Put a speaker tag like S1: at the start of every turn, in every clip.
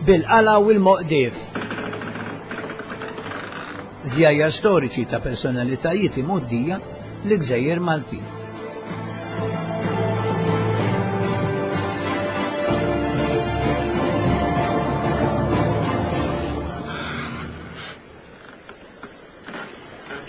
S1: Bil-qala u l-moqdief. Żjajjar storiċi ta' personalitajiet imgħoddija l-Gżejjer Maltin.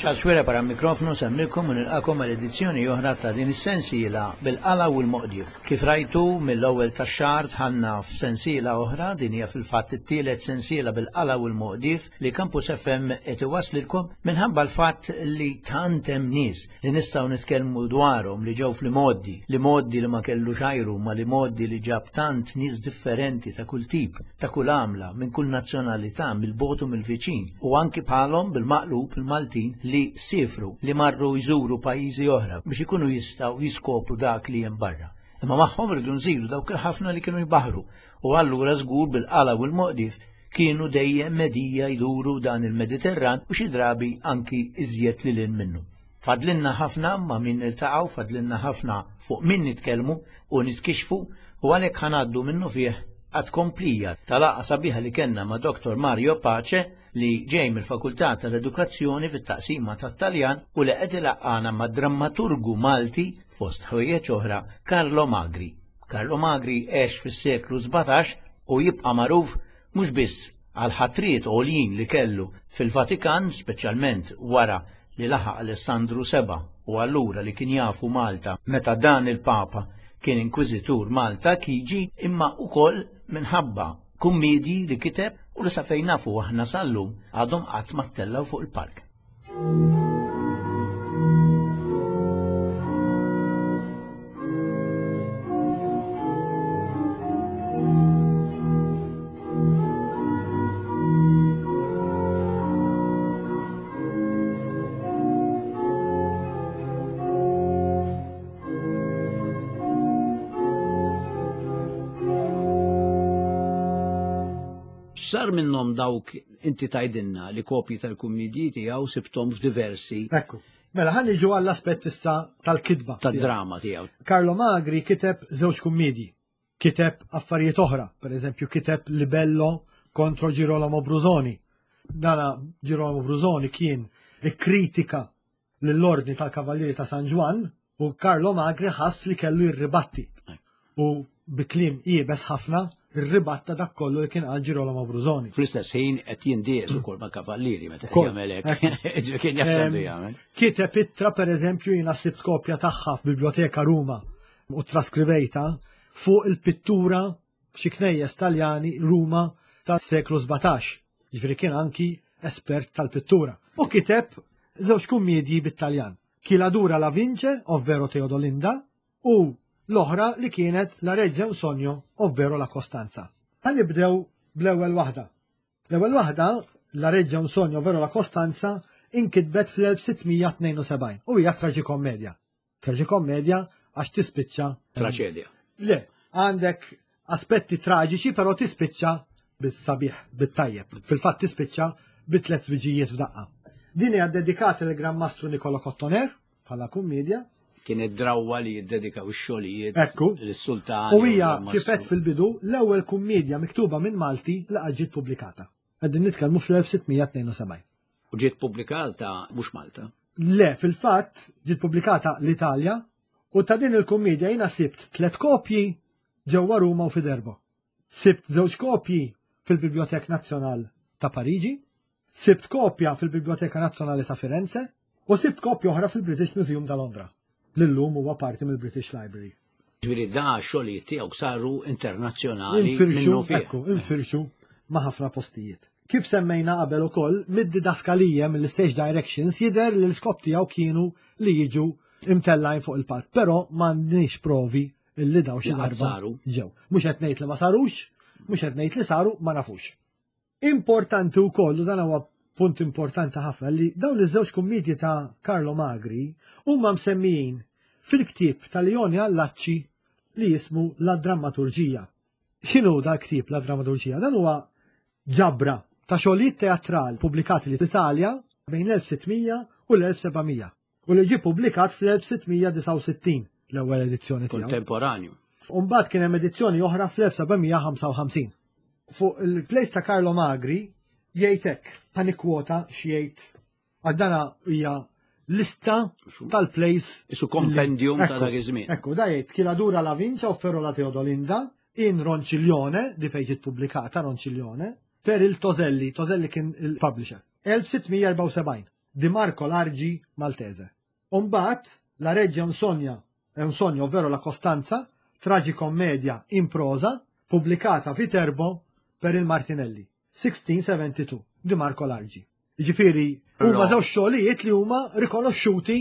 S1: Charles Xuereb wara l-mikrofnu nsellmilkom u nilqakom għal edizzjoni oħra ta' din is-sensiela bil-qala u l-moqdief. Kif rajtu mill-ewwel tax-xahar dħalna f'sensiela oħra, din hija fil-fatt it-tielet sensiela bil-qala u l-moqdief li Campus FM qed iwasslilkom minħabba l-fatt li tant hemm nies li nistgħu nitkellmu dwarhom li ġew fl-imgħoddi, l-imgħoddi li ma kellux ajru ma l-imgħoddi li ġab tant nies differenti ta' kull tip, ta' kull għamla, minn kull nazzjonalità, mill-bogħod u mill-viċin, u anki bħalhom bil-maqlub il-Maltin li siefru, li marru jżuru pajjiżi oħra biex ikunu jistgħu jiskopru dak li hemm barra. Imma magħhom rridu nżidu dawk il-ħafna li kienu jbaħħru u allura żgur bil-qala u l-moqdief kienu dejjem medija jduru dan il-Mediterran u xi drabi anki iżjed lil hinn minnu. Fadlilna ħafna ma' min niltaqgħu, fadlilna ħafna fuq min nitkellmu u nitkixxfu u għalhekk ħa ngħaddu minnufih għat-tkomplija ta' laqgħa sabiħa li kellna ma' Dottor Mario Pace li ġej mill-Fakultà tal-Edukazzjoni fit-taqsima tat-Taljan u li qed ilaqqagħna mad-drammaturgu Malti fost ħwejjeġ oħra Carlo Magri. Carlo Magri għex fis-seklu 17 u jibqa' magħruf mhux biss għall-ħatriet għoljin li kellu fil-Vatikan, speċjalment wara li laħaq Alessandru 7 u allura li kien jafu Malta meta dan il-Papa kien inkwiżitur Malta Chigi, imma wkoll minħabba kummiedji li kiteb u li sa fejn nafu aħna sal-lum għadhom qatt ma ttellgħu fuq il-palk. X'sar minnhom dawk inti tgħidilna li kopji tal-kummidji tiegħu sibthom f'diversi.
S2: Ekku. Mela ħan niġu għall-aspett issa tal-kitba.
S1: Tad-drama tiegħu.
S2: Carlo Magri kiteb żewġ kummidji. Kiteb affarijiet oħra, per eżempju kiteb Libello kontro Girolamo Brusoni. Dana Girolamo Brusoni kien ikkritika lill-Ordni tal-Kavallieri ta' San Ġwann u Carlo Magri ħass li kellu jirribatti. U bi kliem iebes ħafna rribatta dak kollu li kien qal Girolamo Brusoni.
S1: Fl-istess ħin qed jindies ukoll ma' kavallieri meta qed jagħmel hekk. Kien jaf jagħmel.
S2: Kiteb ittra pereżempju jiena sibt kopja tagħha f'Biblioteka Ruma u traskrivejta fuq il-pittura f'xi knejjes Taljani Ruma tas-seklu 17. Jiġifieri kien anki espert tal-pittura. U kiteb żewġ kummiedji bit-Taljan. Chi la dura la vince, ovvero Teodolinda, u l-oħra li kienet La reggia un sogno, ovvero La Costanza. Ħa nibdew bl-ewwel waħda. L-ewwel waħda, La reggia un sogno, ovvero La Costanza, inkitbet fl-1672 u hija traġikomedja. Traġikomedja għax tispiċċa.
S1: Traċedja.
S2: Le, għandek aspetti traġiċi però tispiċċa bis-sabiħ, bit-tajjeb. Fil-fatt tispiċċa bi tliet żwiġijiet f'daqqa. Din hija dedikata lill Gran Mastru Niccolo Cottoner bħala kummedja.
S1: Kienet drawwa li jiddedikaw ix-xogħlijiet
S2: Ekku.
S1: lis-sultan.
S2: U hija kif għedt fil-bidu l-ewwel kummedja miktuba minn Malti li qatt ġiet pubblikata. Qegħdin nitkellmu fl-1672.
S1: U ġiet pubblikata mhux Malta?
S2: Le, fil-fatt ġiet pubblikata l-Italja u ta' din il-kummedja jiena sibt tlet kopji ġewwa Ruma u Fiderbo. Sibt żewġ kopji fil-Bibliothèque Nazzjonal ta' Pariġi, sibt kopja fil-Biblioteka Nazzjonali ta' Firenze u sibt kopja oħra fil-British Museum ta' Londra, li llum huwa parti mill-British Library.
S1: Ġifieri da xogħlijiet tiegħu saru internazzjonali.
S2: Infirxu, ekku, infirxu ma' ħafna postijiet. Kif semmejna qabel ukoll, mid-didaskalija mill-stage directions jidher li l-iskop tiegħu kienu li jiġu imtellgħin fuq il-palk, però m'għandniex provi illi daw xi darba
S1: saru.
S2: Ġew. Mhux qed ngħid li ma sarux, mhux qed ngħid li saru, ma nafux. Importanti wkoll, u dan huwa punt importanti ħafna, li dawn iż-żewġ kummedji ta' Carlo Magri huma msemmijin fil-ktieb ta' Leone Allacci li jismu La Drammaturġija. X'inhu dal-ktieb La Drammaturġija? Dan huwa ġabra ta' xogħlijiet teatral pubblikati l-Italja bejn l-1600 u l-1700 u li ġie pubblikat fl-1669 l-ewwel edizzjoni tiegħu.
S1: Kontemporanju.
S2: U mbagħad kien hemm edizzjoni oħra fl-1755. Fuq il-place ta' Carlo Magri jgħid hekk, ħa nikkwota x'jgħid għal dana hija lista tal-plays.
S1: Isu kompendium ta' dak iż-żmien.
S2: Ekku, da jgħid chi la dura la vincia ovvero la Teodolinda in Ronciglione, di fejn ġiet pubblikata Ronciglione, per il Toselli, Toselli kien il-publisher. 1674, di Marco Largi Maltese. U mbagħad La Reggia è un sogno, è un sogno, ovvero La Costanza, tragikommedia in prosa, pubblikata Viterbo per il Martinelli, 1672, di Marco Largi. Jiġifieri huma żewġ xogħlijiet li huma rikonoxxuti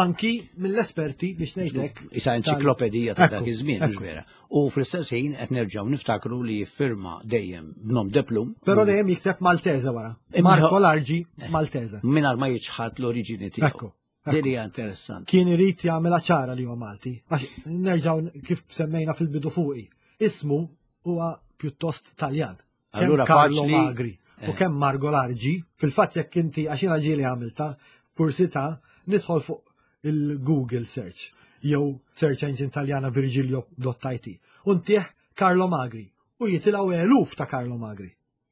S2: anki mill-esperti biex ngħidlek.
S1: Isa enċiklopedija ta' dak iż-żmien, vera. U fl-istess ħin qed nerġgħu niftakru li jiffirma dejjem b'nom de plum.
S2: Però dejjem jikteb Maltese wara. Marco Largi eh, Maltese.
S1: Mingħajr ma jiċħad l-oriġini tiegħu. Ekku. Din hija interessanti.
S2: Kien irid jagħmilha ċara li huwa Malti. Għax nerġgħu kif semmejna fil-bidu fuqi. Ismu huwa pjuttost Taljan. Allura Carlo Magri u eh. kemm Margo Largi, fil-fatt jekk inti għax jiena ġieli għamilta kursità nidħol fuq il-Google search jew search engine Taljana virgilio.it u ntih Carlo Magri u jitilgħu eluf ta' Carlo Magri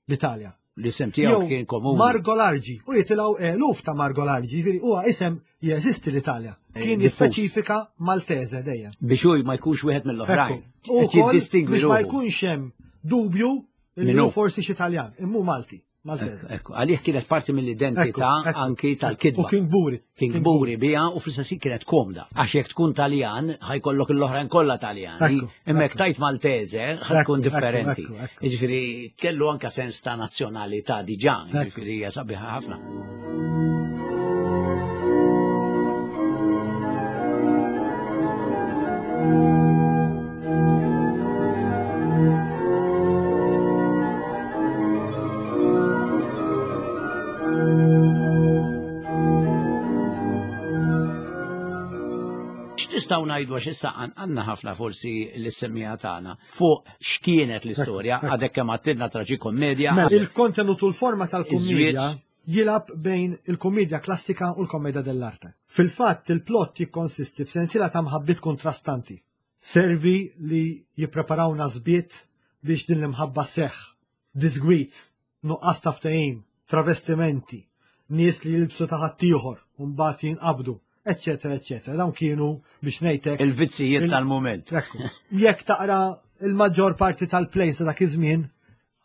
S2: l-Italja.
S1: L-isem tiegħu kien komuni.
S2: Margo Largi u jitilgħu eluf ta' Margo Largi, jiġifieri huwa isem jeżisti l-Italja. Eh, kien jispeċifika Maltese dejjem.
S1: Biex hu ma jkunx wieħed mill-oħrajn.
S2: U biex ma jkunx hemm dubju li forsi xi Taljan, immu Malti. Maltese.
S1: Ekku, għalih kienet parti mill-identità anki tal-kidba.
S2: U kien kburi.
S1: Kien kburi biha u fl-istess kienet komda. Għax jekk tkun Taljan, ħajkollok l-oħrajn kollha Taljani. Imma jekk tajt Maltese, ħajkun differenti. Jiġifieri kellu anka sens ta' nazzjonalità diġà, jiġifieri hija sabiħa ħafna. X'nistgħu ngħidu għax issa għandna ħafna forsi l-semmija tagħna fuq x'kienet l-istorja għadek kemm għattilna traġikomedja.
S2: Mela, il-kontenut u l-forma tal-kummedja jilgħab bejn il-kummedja klassika u l-commedia dell'arte. Fil-fatt, il-plott jikkonsisti f'sensiela ta' mħabbiet kontrastanti. Servi li jippreparaw nasbiet biex din l-imħabba sseħħ. Diżgwid, nuqqas ta' ftehim, travestimenti, nies li jilbsu ta' ħaddieħor u mbagħad jinqabdu, eċċetera, eċċetera. Dawn kienu biex ngħidlek
S1: il-vizzijiet tal-mument.
S2: Jekk taqra il-maġġor parti tal-plays ta' dak iż-żmien,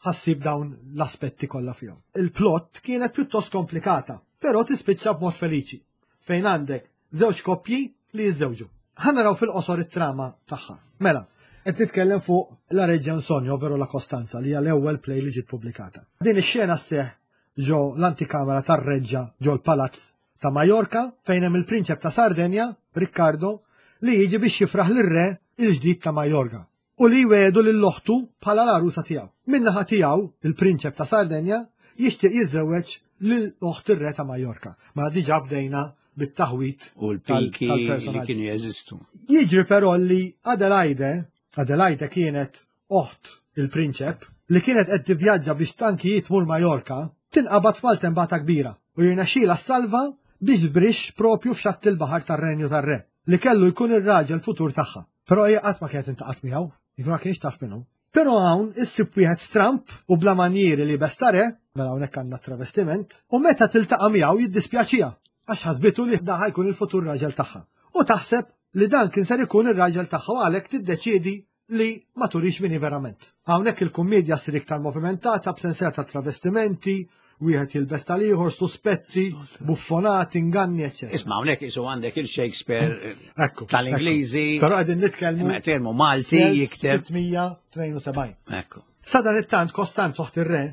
S2: ħassib dawn l-aspetti kollha fihom. Il-plot kienet pjuttost komplikata, però tispiċċa b'mod feliċi, fejn għandek żewġ koppji li jiżżewġu. Ħa naraw fil-qosor it-trama tagħha. Mela, qed nitkellem fuq La Reggia in Sogno, ovvero La Costanza, li hija l-ewwel play li ġiet pubblikata. Din ix-xena sseħħ ġo l-antikamera tar-reġġa ġo l-palazz ta' Majorka fejn hemm il-prinċep ta' Sardenja, Riccardo, li jiġi biex jifraħ lir-re il-ġdid ta' Majorka. u li jwiegħdu lil oħtu bħala l-għarusa tiegħu. Min-naħa tiegħu, il-prinċep ta' Sardenja jixtieq jiżżewweġ lil oħt ir-re ta' Majorka. Mela diġà bdejna bit-taħwid
S1: u l-piki li kienu jeżistu.
S2: Jiġri però li Adelaide, Adelaide kienet oħt il-prinċep, li kienet qed tivvjaġġa biex tankijiet tmur Majorka, tinqabad f'maltembata kbira u jirnexxielha ssalva biex tbrixx propju f'xatt il-baħar tar-renju tar-re, li kellu jkun ir-raġel futur tagħha. Però hija qatt ma kienet intaqgħet miegħu, jiġifieri ma kienx taf minnu. Però hawn issib wieħed stramp u bla manjieri li besta re, mela hawnhekk għandna travestiment, u meta tiltaqa' miegħu jiddispjaċiha għax ħasbitu li da ħajkun il-futur raġel tagħha. U taħseb li dan kien ser ikun ir-raġel tagħha u għalhekk tiddeċiedi li ma turix min hi verament. Hawnhekk il-kummedja ssir iktar movimentata b'sensiela ta' travestimenti, wieħed jilbes tal-ieħor, suspetti, buffonati, inganni, eċċetera.
S1: Isma' hawnhekk isu għandek il-Shakespeare eh, tal-Ingliżi.
S2: Però qegħdin nitkellmu.
S1: Nitkellmu Malti jikteb.
S2: 672.
S1: Ekku.
S2: Sadan it-tant Kostant oħt ir-re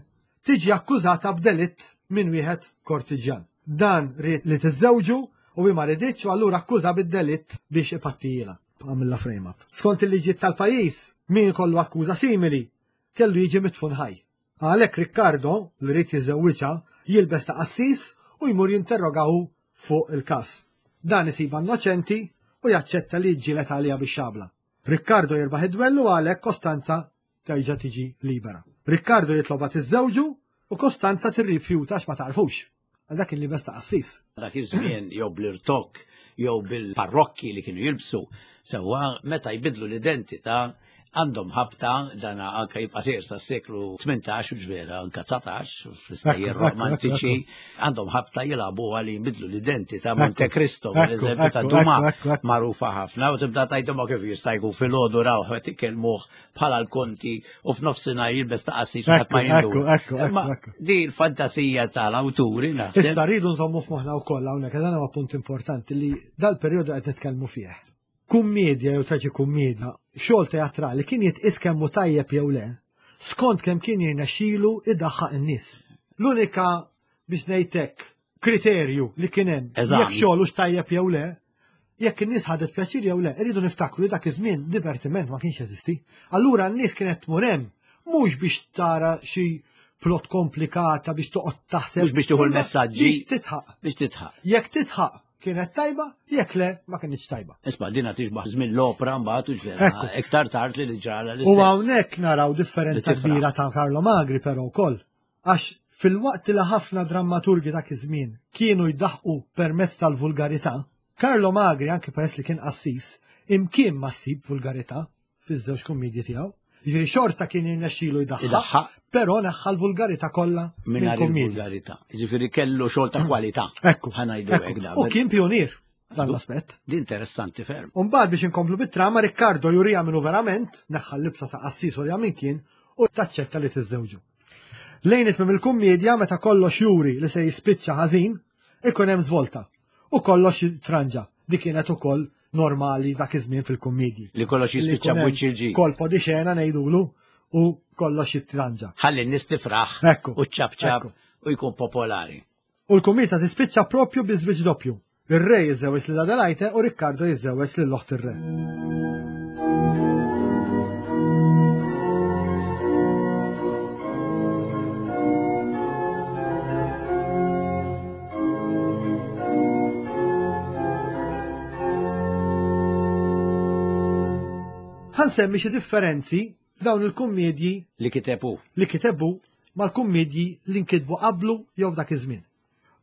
S2: tiġi akkużata b'delitt minn wieħed kortiġjan. Dan ried li tiżżewġu u hi ma riditx u allura akkuża bid-delitt biex ipattijilha. Għamilla frame up. Skont il-liġijiet tal-pajjiż, min ikollu akkuża simili kellu jiġi midfun ħaj. Għalhekk Riccardo, li ried jiżżewwiġha, jilbes ta' qassis u jmur jinterroga hu fuq il-każ. Dan isibha innoċenti u jaċċetta li jiġġieled għaliha bix-xabla. Riccardo jirbaħ id-dwell u għalhekk Costanza terġa' tiġi libera. Riccardo jitlobha tiżżewġu u Costanza tirrifjuta għax ma tagħrfux. Għal dak il-libes ta' qassis.
S1: Dak iż-żmien jew bl-irtokk jew bil-parrokki li kienu jilbsu, sewwa meta jbidlu l-identità. Għandhom ħabta dan anke jibqa' sejr sas-seklu 18 u ġvera anke 19 fl-istejjer romantiċi għandhom ħabta jilagħbu għal jinbidlu l-identità Monte Cristo pereżempju ta' Duma magħrufa ħafna u tibda tgħidhom kif jista' jkun filgħodu rawh qed ikellmuh bħala l-konti u f'nofsinhar jilbes ta' qassis ħadd ma
S2: jindu.
S1: Di l-fantasija tal-awturi naħseb.
S2: Issa rridu nżommu f'moħħna wkoll hawnhekk dan huwa punt importanti li dal-perjodu qed nitkellmu fih. Kummedja jew traġi kummedja, xogħol teatrali kien jitqis kemm hu tajjeb jew le, skont kemm kien jirnexxilu idaħħaq in-nies. L-unika biex ngħid hekk kriterju li kien hemm jekk xogħol hux tajjeb jew le, jekk in-nies ħadet pjaċir jew le, irridu niftakru li dak iż-żmien divertiment ma kienx jeżisti. Allura n-nies kienet tmur hemm mhux biex tara xi plot komplikata biex toqgħod taħseb.
S1: Mhux biex tieħu l-messaġġi.
S2: Biex titħaq.
S1: Biex titħaq.
S2: Jekk titħaq kienet tajba, jekk le ma kienx tajba.
S1: Isma' dina tixbaħ żmien l-opra mbagħad u ġvera iktar tard li ġrala l-istess.
S2: U hawnhekk naraw differenza kbira ta' Carlo Magri però wkoll. Għax filwaqt li ħafna drammaturgi dak iż-żmien kienu jdaħqu permezz tal-vulgarità, Carlo Magri anke peress li kien qassis, imkien ma ssib vulgarità fiż-żewġ kummedji tiegħu. Jiġifieri xorta kien jirnexxilu jdaħħaq, però neħħa l-vulgarità kollha
S1: mingħajr il-vulgarità. Jiġifieri kellu xogħol ta' kwalità.
S2: Ekku.
S1: Ħa ngħidu hekk
S2: U kien pionier dan l-aspett.
S1: Di interessanti ferm.
S2: Umbagħad biex inkomplu bit-trama Riccardo jurija minnu verament, neħħa l-libsa ta' qassis u min kien u taċċetta li tiżżewġu. Lejn itmim il-kummedja meta kollox juri li se jispiċċa ħażin, ikun hemm żvolta u kollox jitranġa. Dik kienet ukoll normali dak iż-żmien fil-kummedji.
S1: Li kollox jispiċċa b'wiċċ il-ġid.
S2: Kolpo di xena ngħidulu u kollox jitranġa.
S1: Ħalli n-nies tifraħ u ċċapċap u jkun popolari.
S2: U l-kummedja tispiċċa propju bi żwieġ doppju. Ir-re jiżżewweġ lil Adelaide u Riccardo jiżżewweġ lil oħt ir-re. Ħa nsemmi xi differenzi f'dawn il-kummedji
S1: li kitebu
S2: li kitebu mal-kummedji li nkitbu qablu jew f'dak iż-żmien.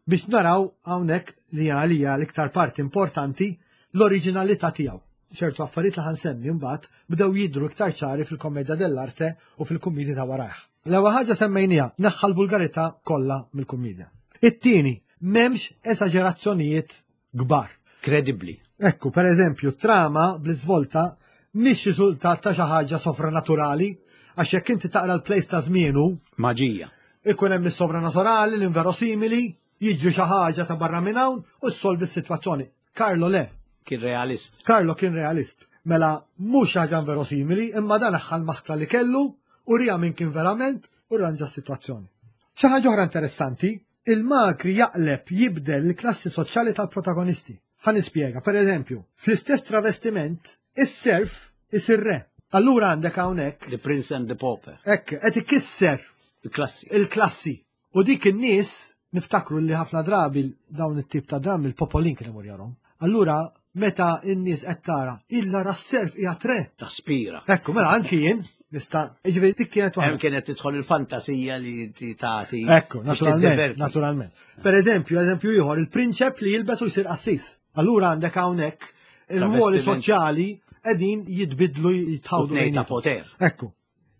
S2: Biex naraw hawnhekk li għalija l-iktar parti importanti l-oriġinalità tiegħu. Ċertu affarijiet li ħansemmi mbagħad bdew jidhru iktar ċari fil-Commedia dell'Arte u fil-kummedji ta' warajh. L-ewwel ħaġa semmejniha, neħħa l-vulgarità kollha mill-kummedja. It-tieni, m'hemmx esaġerazzjonijiet kbar.
S1: Kredibbli.
S2: Ekku, per eżempju, trama bl-iżvolta mhix riżultat ta' xi ħaġa sovranaturali, għax jekk inti taqra l-plays ta' żmienu.
S1: Maġija.
S2: Ikun hemm is-sovrannaturali, l-inverosimili, jiġri xi ħaġa ta' barra minn hawn u ssolvi s-sitwazzjoni. Carlo le.
S1: Kien realist.
S2: Carlo kien realist. Mela mhux ħaġa inverosimili, imma dan aħħa l-maskla li kellu u rija min kien verament u rranġa s-sitwazzjoni. Xi ħaġa oħra interessanti, il-Magri jaqleb jibdel il-klassi soċjali tal-protagonisti. Ħa nispjega, per eżempju, fl-istess travestiment, is-serf isir re. Allura għandek hawnhekk.
S1: The Prince and the Pauper.
S2: Hekk, qed ikisser
S1: il-klassi.
S2: Il-klassi. U dik in-nies niftakru li ħafna drabi dawn it-tip ta' drammi l-popolin kien imur jarhom. Allura meta n-nies qed tara illa ra s-serf qiegħed re.
S1: Taspira.
S2: Ekku, mela anki jien nista' jiġifieri dik kienet
S1: waħda. Hemm kienet tidħol il-fantasija li tagħti.
S2: Ekku, naturalment, naturalment. Per eżempju, eżempju ieħor, il-prinċep li jilbes u jsir qassis. Allura għandek hawnhekk il-ruoli soċjali qegħdin jitbidlu jitħawdu.
S1: ta' poter.
S2: Ekku.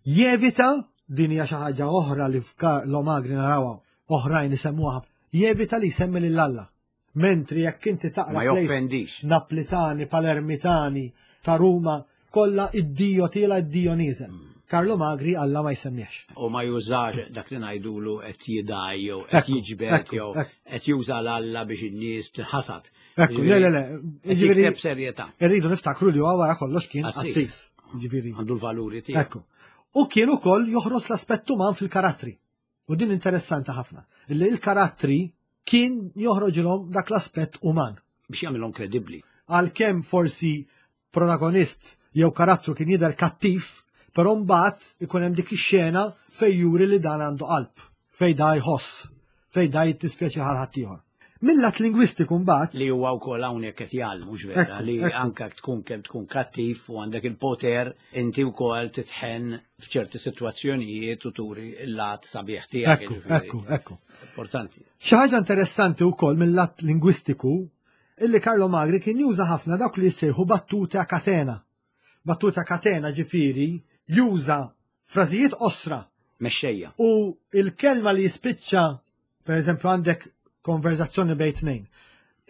S2: Jevita, din hija xi ħaġa oħra li f'Carlo Magri narawha oħrajn isemmuha, jevita li jsemmi lil Alla. Mentri jekk inti taqra
S1: Ma joffendix.
S2: Naplitani, Palermitani, ta' Ruma, kollha id-Dio tiela id-Dio nieżel. Carlo Magri Alla ma jsemmihx.
S1: U ma jużax dak li ngħidulu qed jidgħi jew qed jiġbed jew qed juża l-Alla biex in-nies tinħasad.
S2: Ekku, le, le, le.
S1: Jiġifieri b'serjetà.
S2: Irridu niftakru li huwa wara kollox kien qassis. Jiġifieri.
S1: Għandu l-valuri tiegħu.
S2: Ekku. U kien ukoll joħroġ l-aspett uman fil-karattri. U din interessanti ħafna. Illi il-karattri kien joħroġilhom dak l-aspett uman.
S1: Biex jagħmilhom kredibbli.
S2: Għalkemm forsi protagonist jew karattru kien jidher kattiv, però mbagħad ikun hemm dik ix-xena fejn juri li dan għandu qalb, fejn da jħoss, fejn da jittispjaċi għal ħaddieħor. Mil-lat lingwistiku mbagħad.
S1: Li huwa wkoll hawnhekk qed jgħallmu, mhux vera, li anke tkun kemm tkun kattiv u għandek il-poter, inti wkoll titħenn f'ċerti sitwazzjonijiet u turi l-lat sabiħ tiegħek.
S2: Ekku, ekku, ekku.
S1: Importanti.
S2: Xi ħaġa interessanti wkoll mill-lat lingwistiku illi Carlo Magri kien juża ħafna dawk li jissejħu battute a catena. Battuta katena ġifieri juża frażijiet qosra.
S1: Mexxejja.
S2: U il-kelma li jispiċċa, per eżempju għandek konverzazzjoni bejn tnejn.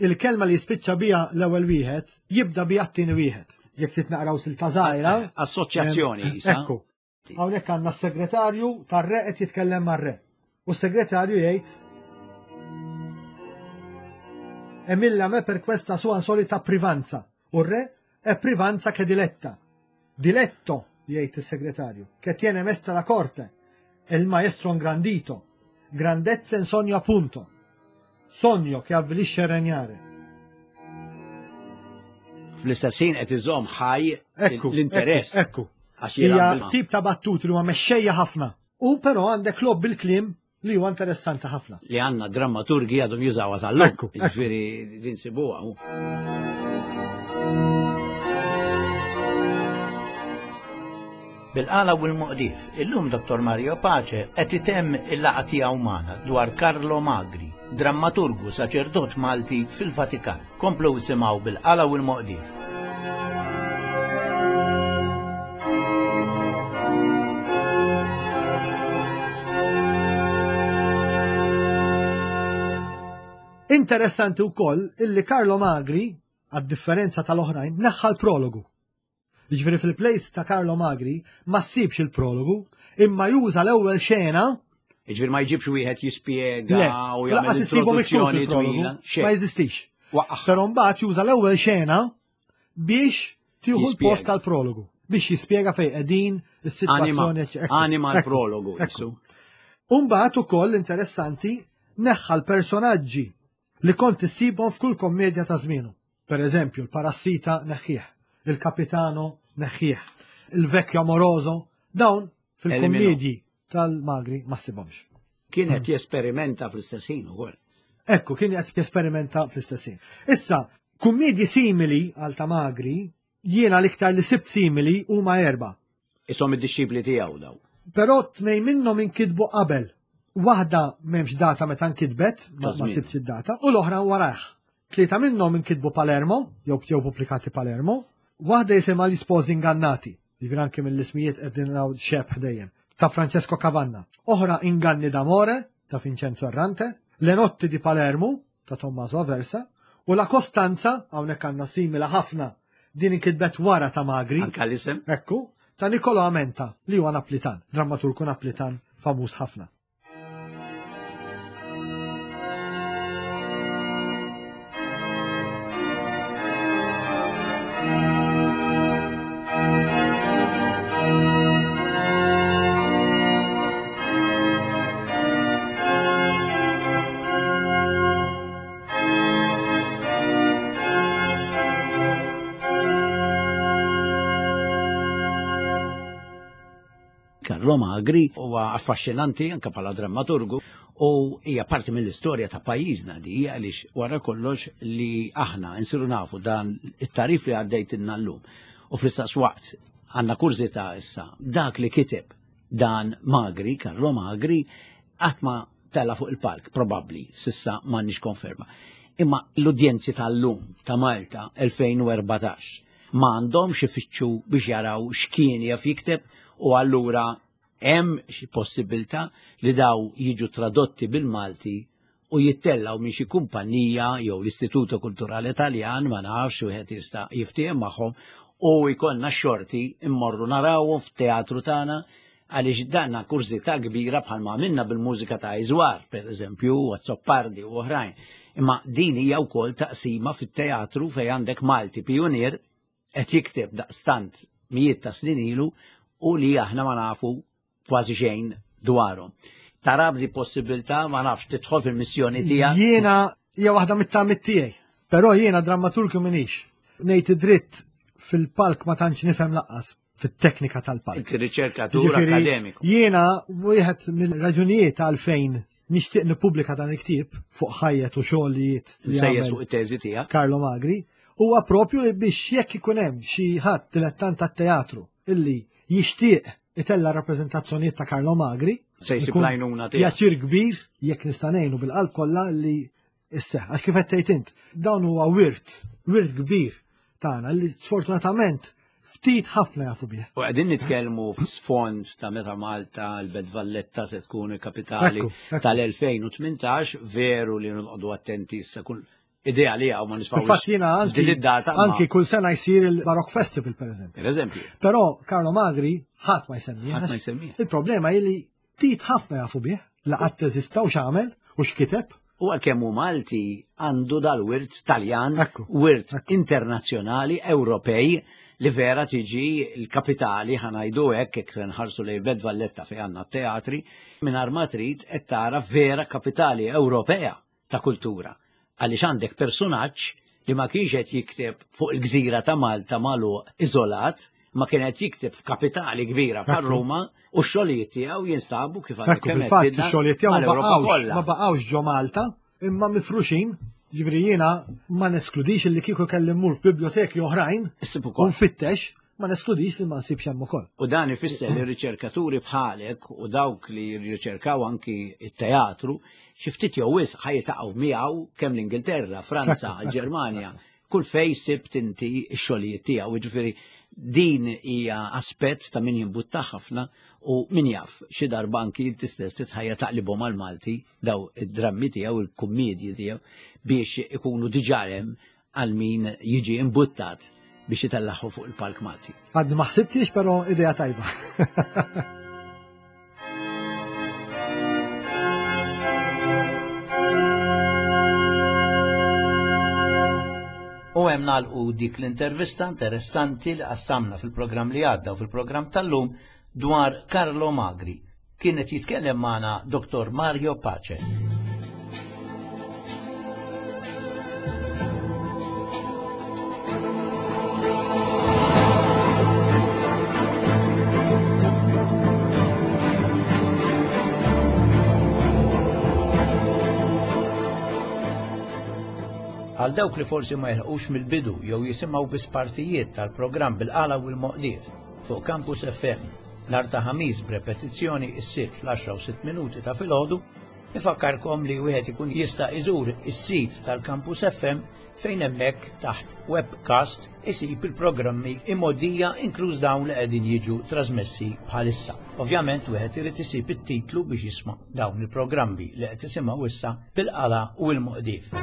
S2: Il-kelma li jispiċċa biha l-ewwel wieħed jibda biha t-tieni wieħed. Jekk trid naqraw silta żgħira.
S1: Assoċjazzjoni isa.
S2: Ekku. Hawnhekk għandna s-segretarju tar-re qed jitkellem mar-re. U s-segretarju jgħid Emilla me per questa sua solita privanza. U r-re è privanza che diletta. Diletto, jgħid is-segretarju, che tiene mesta la corte, e il maestro ingrandito. Grandezza in sogno appunto. Sogno che avvilisce il regnare.
S1: Fl-istess ħin qed iżomm ħaj l-interess.
S2: Ekku. Hija tip ta' battuti li huwa mexxejja ħafna. U però għandek lob bil-kliem li huwa interessanti ħafna.
S1: Li għandna drammaturgi għadhom jużawha sal-lum. Ekku. Jiġifieri din sibuha. Bil-qala u l-moqdif, illum Dr. Mario Pace qed itemm il-laqgħa tiegħu magħna dwar Carlo Magri, drammaturgu saċerdot Malti fil-Vatikan. Komplu isimgħu bil-qala u l-moqdif.
S2: Interessanti wkoll illi Carlo Magri, għad-differenza tal-oħrajn, neħħa l-prologu. Jiġifieri fil-plays ta' Carlo Magri ma ssibx il-prologu, imma juża l-ewwel xena.
S1: Jiġifieri ma jġibx wieħed jispjega u jagħmel introduzzjoni twila.
S2: Ma jeżistix. Però mbagħad juża l-ewwel xena biex tieħu l-post tal-prologu biex jispjega fejn qegħdin is-sitwazzjoni.
S1: Anima l-prologu.
S2: Umbagħad ukoll interessanti neħħa l-personaġġi li kont issibhom f'kull kommedja ta' żmienu. Per eżempju, l-parassita neħħieħ, il-kapitano neħħieħ, il-vecchio amoroso, dawn fil-kummedji tal-magri ma ssibhomx.
S1: Kien qed jesperimenta fl-istess ħin ukoll.
S2: Ekku, kien qed jesperimenta fl-istess ħin. Issa, kummedji simili għal ta' magri, jiena l-iktar li sibt simili huma erba.
S1: Isom id-dixxipli tiegħu daw.
S2: Però tnej minnhom inkitbu qabel. Waħda m'hemmx data meta nkitbet, ma sibx id-data, u l-oħra warajh. Tlieta minnhom inkitbu Palermo, jew jew pubblikati Palermo, waħda jisimha Gli Sposi Ingannati, jiġifieri anke mill-ismijiet qegħdin naraw xebh dejjem, ta' Francesco Cavanna. Oħra Inganni d'Amore, ta' Vincenzo Errante, Le Notti di Palermo, ta' Tommaso Aversa, u La Costanza, hawnhekk għandna simila ħafna, din inkitbet wara ta' Magri.
S1: Anka l-isem.
S2: Ekku, ta' Niccolo Amenta, li huwa Naplitan, drammaturgu Naplitan famuż ħafna.
S1: Carlo Magri huwa affaxxinanti anke bħala drammaturgu u hija parti mill-istorja ta' pajjiżna di għaliex wara kollox li aħna nsiru nafu dan it-tarif li għaddejtilna llum. U fl-istess waqt għandna kurżità issa dak li kiteb dan Magri, Carlo Magri, qatt ma tela fuq il-palk, probabbli, sissa m'għandniex konferma. Imma l-udjenzi tal-lum ta' Malta 2014 ma għandhomx ifittxu biex jaraw x'kien jaf jikteb u allura hemm xi possibilità li daw jiġu tradotti bil-Malti u jittellgħu minn xi kumpanija jew l-Istituto Kulturali Taljan, ma nafx, wieħed jista' jiftiehem magħhom u jkollna x-xorti mmorru narawhom fit-teatru tagħna għaliex danna kurżità kbira bħalma għamilna bil-mużika ta' Iżwar, per eżempju, u Azzopardi u oħrajn. Imma din hija wkoll taqsima fit-teatru fejn għandek Malti pijunier qed jikteb daqstant mijiet ta' snin ilu u li aħna ma nafu kważi xejn dwarhom. Tara b'di possibilità ma nafx tidħol fil-missjoni tiegħek.
S2: Jiena hija waħda mit-tamiet tiegħi, però jiena drammaturgu minix. Ngħid id-dritt fil-palk ma tantx nifhem laqqas fit-teknika tal-palk.
S1: Inti riċerkatur akademiku.
S2: Jiena wieħed mill-raġunijiet għalfejn nixtieq nippubblika dan il-ktieb fuq ħajjet u xogħlijiet
S1: li sejjes fuq it-teżi tiegħek.
S2: Carlo Magri, huwa propju li biex jekk ikun hemm xi ħadd dilettant tat-teatru illi jixtieq itella' rappreżentazzjonijiet ta' Carlo Magri.
S1: Se jsib l-għajnuna
S2: tiegħek. Pjaċir kbir jekk nista' ngħinu bil-qalb kollha li isseħ. Għax kif qed tgħid int, dawn huwa wirt, wirt kbir tagħna li sfortunatament Ftit ħafna jafu bih.
S1: U qegħdin nitkellmu f'sfond ta' meta Malta l-Belt Valletta se tkun il-kapitali tal-2018, veru li nqogħdu attenti issa kull idea li għaw ma nisfawx.
S2: Fatt jiena anki
S1: id-data.
S2: Anki kull sena jsir il-Barok Festival per eżempju.
S1: Per eżempju.
S2: Però Carlo Magri ħadd ma jsemmi.
S1: Ħadd ma jsemmi.
S2: Il-problema hi li ftit ħafna jafu bih, la qatt eżista u x'għamel u x'kiteb.
S1: U għalkemm hu Malti għandu dal-wirt Taljan, wirt internazzjonali, Ewropej, li vera tiġi l-kapitali ħanajdu hekk jekk se nħarsu lejn Belt Valletta fejn għandna t-teatri, mingħajr ma trid qed tara vera kapitali Ewropea ta' kultura. Għaliex għandek persunaġġ li ma kienx qed jikteb fuq il-gżira ta' Malta magħluq iżolat, ma kien qed jikteb f'kapitali kbira bħal Ruma u x-xogħlijiet tiegħu jinstabu kif għandek
S2: kemm qed ix-xogħlijiet tiegħu ma baqgħux ġo Malta imma mifruxin. Ġifieri jiena ma neskludix li kieku kelli mmur f'biblioteki oħrajn u nfittex ma neskludix li ma nsibx hemm ukoll.
S1: U dan ifisser li riċerkaturi bħalek u dawk li jirriċerkaw anki it-teatru xi ftit jew wisq ħa jiltaqgħu miegħu kemm l-Ingilterra, Franza, l-Ġermanja, kull fej sibt inti x-xogħlijiet tiegħu. Jiġifieri din hija aspett ta' min jimbutta ħafna u min jaf xi darba anki inti stess titħajja taqlibhom għall-Malti daw id-drammi tiegħu, il-kummedji tiegħu biex ikunu diġà hemm għal min jiġi imbuttat biex itellaħħu fuq il-palk Malti.
S2: Għadni ma ħsibtix, però idea tajba.
S1: U hemm nagħlqu dik l-intervista interessanti li qassamna fil-programm li għadda u fil-programm tal-lum dwar Carlo Magri. Kien qed jitkellem magħna Dr. Mario Pace. Għal dawk li forsi ma jilħqux mill-bidu jew jisimgħu biss partijiet tal-programm bil-qala u l-moqdief fuq Campus FM nhar ta' Ħamis b'repetizzjoni is-Sibt fl-10 u 6 minuti ta' filgħodu, ifakkarkom li wieħed ikun jista' iżur is-sit tal-Campus FM fejn hemmhekk taħt webcast isib il-programmi imgħoddija inkluż dawn li qegħdin jiġu trasmessi bħalissa. Ovvjament wieħed irid isib it-titlu biex jisma' dawn il-programmi li qed tisimgħu issa bil-qala u l-moqdif.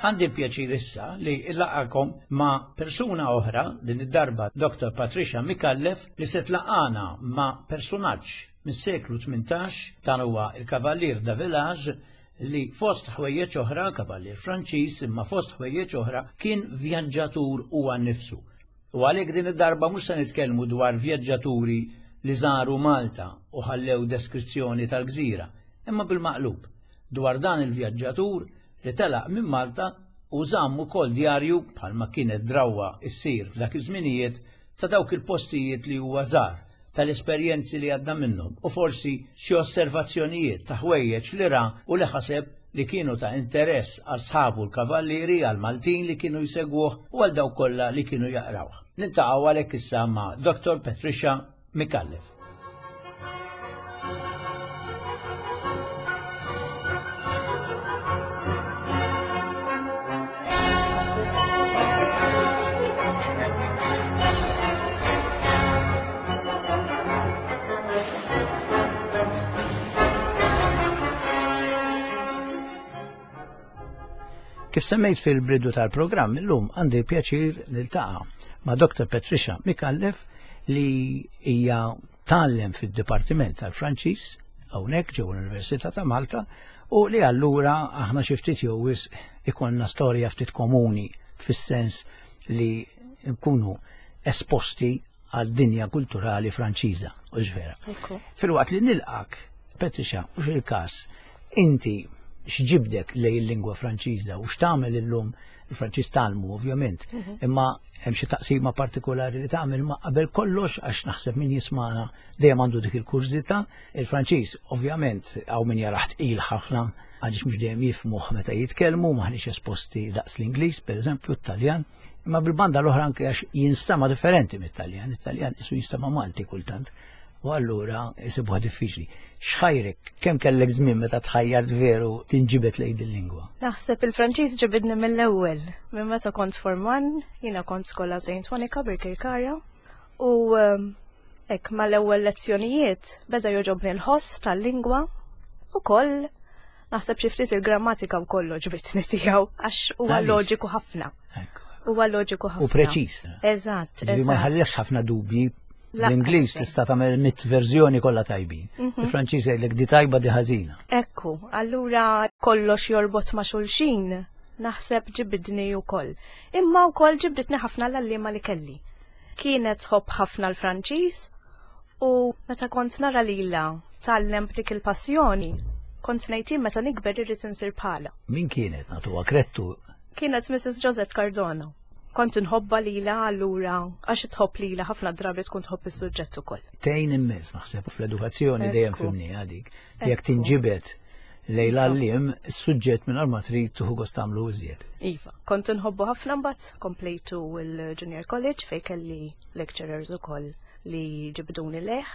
S1: Għandi l-pjaċir issa li illaqakom ma' persuna oħra, din id-darba Dr. Patricia Micallef, li se tlaqana ma' persunaġġ mis-seklu 18, dan huwa il-Kavallier da Village, li fost ħwejjeġ oħra, kavallier Franċiż, imma fost ħwejjeġ oħra kien vjaġġatur huwa nnifsu. U għalhekk din id-darba mhux se nitkellmu dwar vjaġġaturi li żaru Malta u ħallew deskrizzjoni tal-gżira, imma bil-maqlub, dwar dan il-vjaġġatur li telaq minn Malta u żamm ukoll djarju bħalma kienet drawwa ssir f'dak iż-żminijiet ta' dawk il-postijiet li huwa żar, tal-esperjenzi li għadda minnhom u forsi xi osservazzjonijiet ta' ħwejjeġ li ra u li ħaseb li kienu ta' interess għal sħabu l-kavallieri, għall-Maltin li kienu jsegwuh u għal dawk kollha li kienu jaqrawh. Niltaqgħu għalhekk issa ma' Dottor Patricia Micallef. Kif semmejt fil-bidu tal-programm, illum għandi pjaċir niltaqa' ma' Dr. Patricia Micallef li hija tgħallem fid-Dipartiment tal-Franċiż hawnhekk ġewwa l-Università ta' Malta u li allura aħna xi ftit jew wisq ikollna storja ftit komuni fis-sens li nkunu esposti għal dinja kulturali Franċiża, u vera. Filwaqt li nilqak, Patricia, u il-każ, inti x'ġibdek lej il-lingwa Franċiża u x'tagħmel illum il-Franċiż talmu ovvjament, mhm. imma hemm xi taqsima partikolari li tagħmel ma qabel kollox għax naħseb min jismana dejjem għandu dik il-kurżità. Il-Franċiż ovvjament hawn min jaraħ tqil ħafna. għaliex mhux dejjem jifhmuh meta jitkellmu, maħniex esposti daqs l-Ingliż, pereżempju, t-Taljan, imma bil-banda l-oħra anke għax jinstama differenti mit-Taljan, it-Taljan isu jinstama Malti kultant, u allura jisibuha diffiċli. X'ħajrek, kemm kellek żmien meta tħajjart veru tinġibed lejn din lingwa?
S3: Naħseb il-Franċiż ġibidni mill-ewwel, minn meta kont forman, jiena kont skola Saint Monica Birkirkara, u ehm, hekk mal-ewwel lezzjonijiet beda jogħġobni l-ħoss tal-lingwa u koll naħseb xi ftit il-grammatika wkoll ġbitni tiegħu għax huwa loġiku ħafna. Huwa loġiku ħafna.
S1: U preċiż.
S3: Eżatt.
S1: Ma jħallex ħafna dubji. L-Ingliż tista' tagħmel mit verżjoni kollha tajbin. Mhm. Il-Franċiż jgħidlek di tajba di ħażina.
S3: Ekku, allura kollox jorbot ma' xulxin naħseb ġibidni wkoll. Imma wkoll ġibditni ħafna l-għalliema li kelli. Kienet tħobb ħafna l-Franċiż u meta kont nara lilha tgħallem b'dik il-passjoni, kont ngħid jien meta nikber irrid insir bħalha.
S1: Min kienet nagħtuha krettu?
S3: Kienet Mrs. Josette Cardona. Kont inħobbha lilha allura għax tħobb lilha ħafna drabi tkun tħobb is-suġġett ukoll.
S1: Tgħin immens naħseb fl-edukazzjoni dejjem fimniha dik. Jekk tinġibed lejn l-għalliem, is-suġġett mingħajr ma trid tieħu gost tagħmlu iżjed.
S3: Iva, kont inħobbu ħafna mbagħad komplejtu l-Junior College fejn kelli lecturers ukoll li ġibduni leh.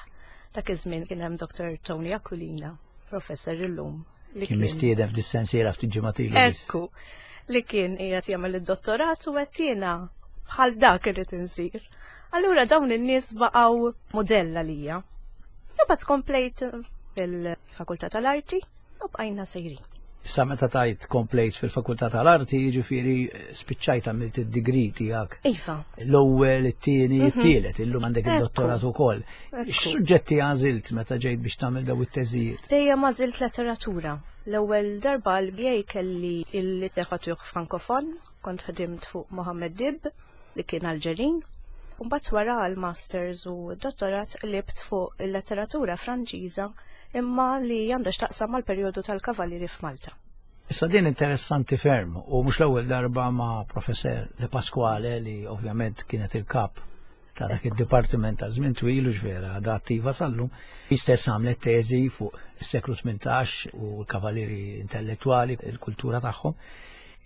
S3: Dak iż-żmien kien hemm Dr. Tony Aquilina, professor illum.
S1: Li kien mistieden f'dis-sensiela ftit ġimgħat ilu.
S3: Ekku, li kien qiegħed jagħmel id-dottorat u qed jiena bħal dak irid insir. Allura dawn in-nies baqgħu mudell għalija. Imbagħad komplejt fil-Fakultà tal-Arti u bqajna sejrin.
S1: Issa meta tajt komplejt fil-Fakultà tal-Arti, jiġifieri spiċċajt għamilt id-degree tiegħek.
S3: Iva.
S1: L-ewwel, it-tieni, mhm. it-tielet, illum għandek id-dottorat ukoll. X'suġġetti għażilt meta ġejt biex tagħmel daw it-teżijiet?
S3: Dejjem għażilt letteratura. L-ewwel darba l-BA kelli il-literatur frankofon, kont ħdimt fuq Mohammed Dib, li kien Alġerin, u mbagħad wara għall-masters u d-dottorat qlibt fuq il-letteratura Franċiża imma li għandha x'taqsam mal-perjodu tal-Kavallieri f'Malta.
S1: Issa din interessanti ferm u mhux l-ewwel darba ma' Professor De Pasquale li ovvjament kienet il-kap ta' dak id-dipartiment ta' żmien twil u vera għadha attiva sallum, hi stess għamlet teżi fuq is-seklu 18 u l-kavallieri intellettwali, il-kultura tagħhom.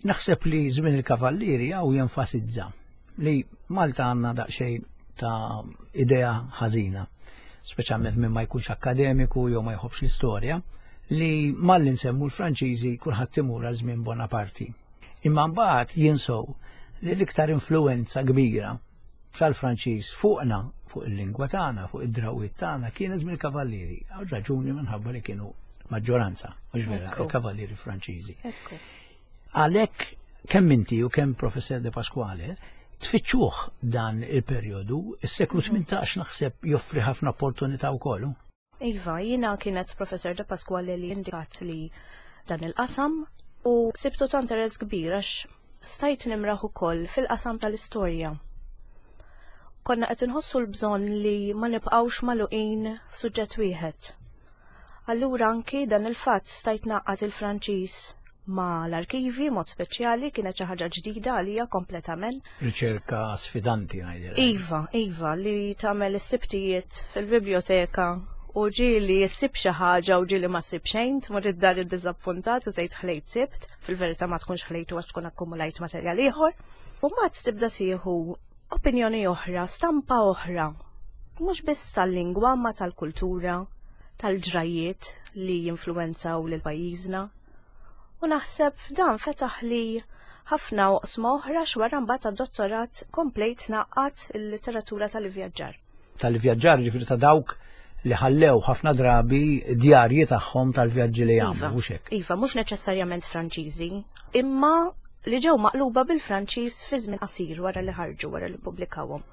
S1: Naħseb li żmien il-Kavallieri hawn jenfasizza li Malta għandna daqsxejn ta' idea ħażina, speċjalment minn ma jkunx akkademiku jew ma jħobbx l-istorja, li malli nsemmu l-Franċiżi kulħadd imur għal żmien Bonaparti. Imma mbagħad jinsow li l-iktar influenza kbira tal-Franċiż fuqna, fuq il-lingwa tagħna, fuq id-drawwiet tagħna kienet żmien il-Kavallieri, għal raġuni minħabba li kienu maġġoranza, mhux vera, il-Kavallieri Franċiżi. Għalhekk kemm inti u kemm Professor De Pasquale tfittxuh dan il-perjodu, is-seklu 18 naħseb joffri ħafna opportunità wkoll.
S3: Iva, jiena kienet Professor De Pasquale li indikat li dan il-qasam u sibtu ta' interess kbir għax stajt nimraħ ukoll fil-qasam tal-istorja. Konna qed inħossu l-bżonn li ma nibqgħux magħluqin f'suġġett wieħed. Allura anki dan il-fatt stajt ngħaqqad il-Franċiż ma' l-arkivi mod speċjali kienet xi ħaġa ġdida għalija kompletament.
S1: Riċerka sfidanti ngħidilha.
S3: Iva, iva, li tagħmel is-sibtijiet fil-biblioteka u ġieli ssib xi ħaġa u ġieli ma ssib xejn, tmur id-dar iddiżappuntat u tgħid ħlejt sibt, fil-verità ma tkunx ħlejtu għax tkun akkumulajt materjal ieħor. U mbagħad tibda tieħu opinjoni oħra, stampa oħra, mhux biss tal-lingwa ma tal-kultura, tal-ġrajiet li jinfluwenzaw lil pajjiżna. U naħseb dan fetaħ li ħafna oqsma oħra x'wara mbagħad għad-dottorat komplejt ngħaqqad il-litteratura tal-ivvjaġġar.
S1: Tal-ivvjaġġar ġifieri ta' dawk li ħallew ħafna drabi djarji tagħhom tal-vjaġġi li għamlu, iva, mhux hekk.
S3: Iva, mhux neċessarjament Franċiżi, imma li ġew maqluba bil-Franċiż fi żmien qasir wara li ħarġu wara li ppubblikawhom.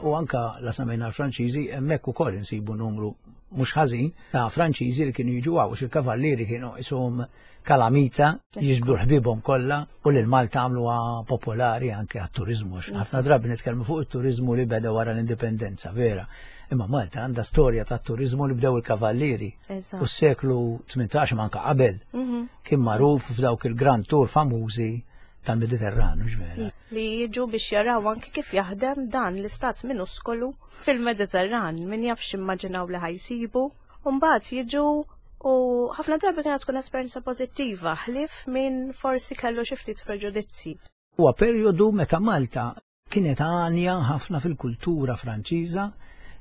S1: U anka la samejna l-Franċiżi hemmhekk ukoll insibu numru mhux ħażin ta' Franċiżi li kienu jiġu għaw, il-kavallieri kienu isum kalamita jiġbdu ħbibhom kollha u lil Malta għamluha popolari anke għat-turiżmu. Ħafna drabi nitkellmu fuq it-turiżmu li beda wara l-indipendenza, vera. Imma Malta għandha storja ta' turizmu li bdew il-kavallieri. U s-seklu 18 manka qabel mhm. kien magħruf f'dawk il-Grand Tour famużi tal-Mediterran, vera.
S3: Li jiġu biex jaraw anki kif jaħdem dan l-istat minuskolu fil-Mediterran, min jaf x'immaġinaw li ħajsibu. Mbagħad jiġu u ħafna drabi kienet tkun esperjenza pożittiva, ħlief min forsi kellu xi ftit preġudizzi.
S1: Huwa perjodu meta Malta kienet għanja ħafna fil-kultura Franċiża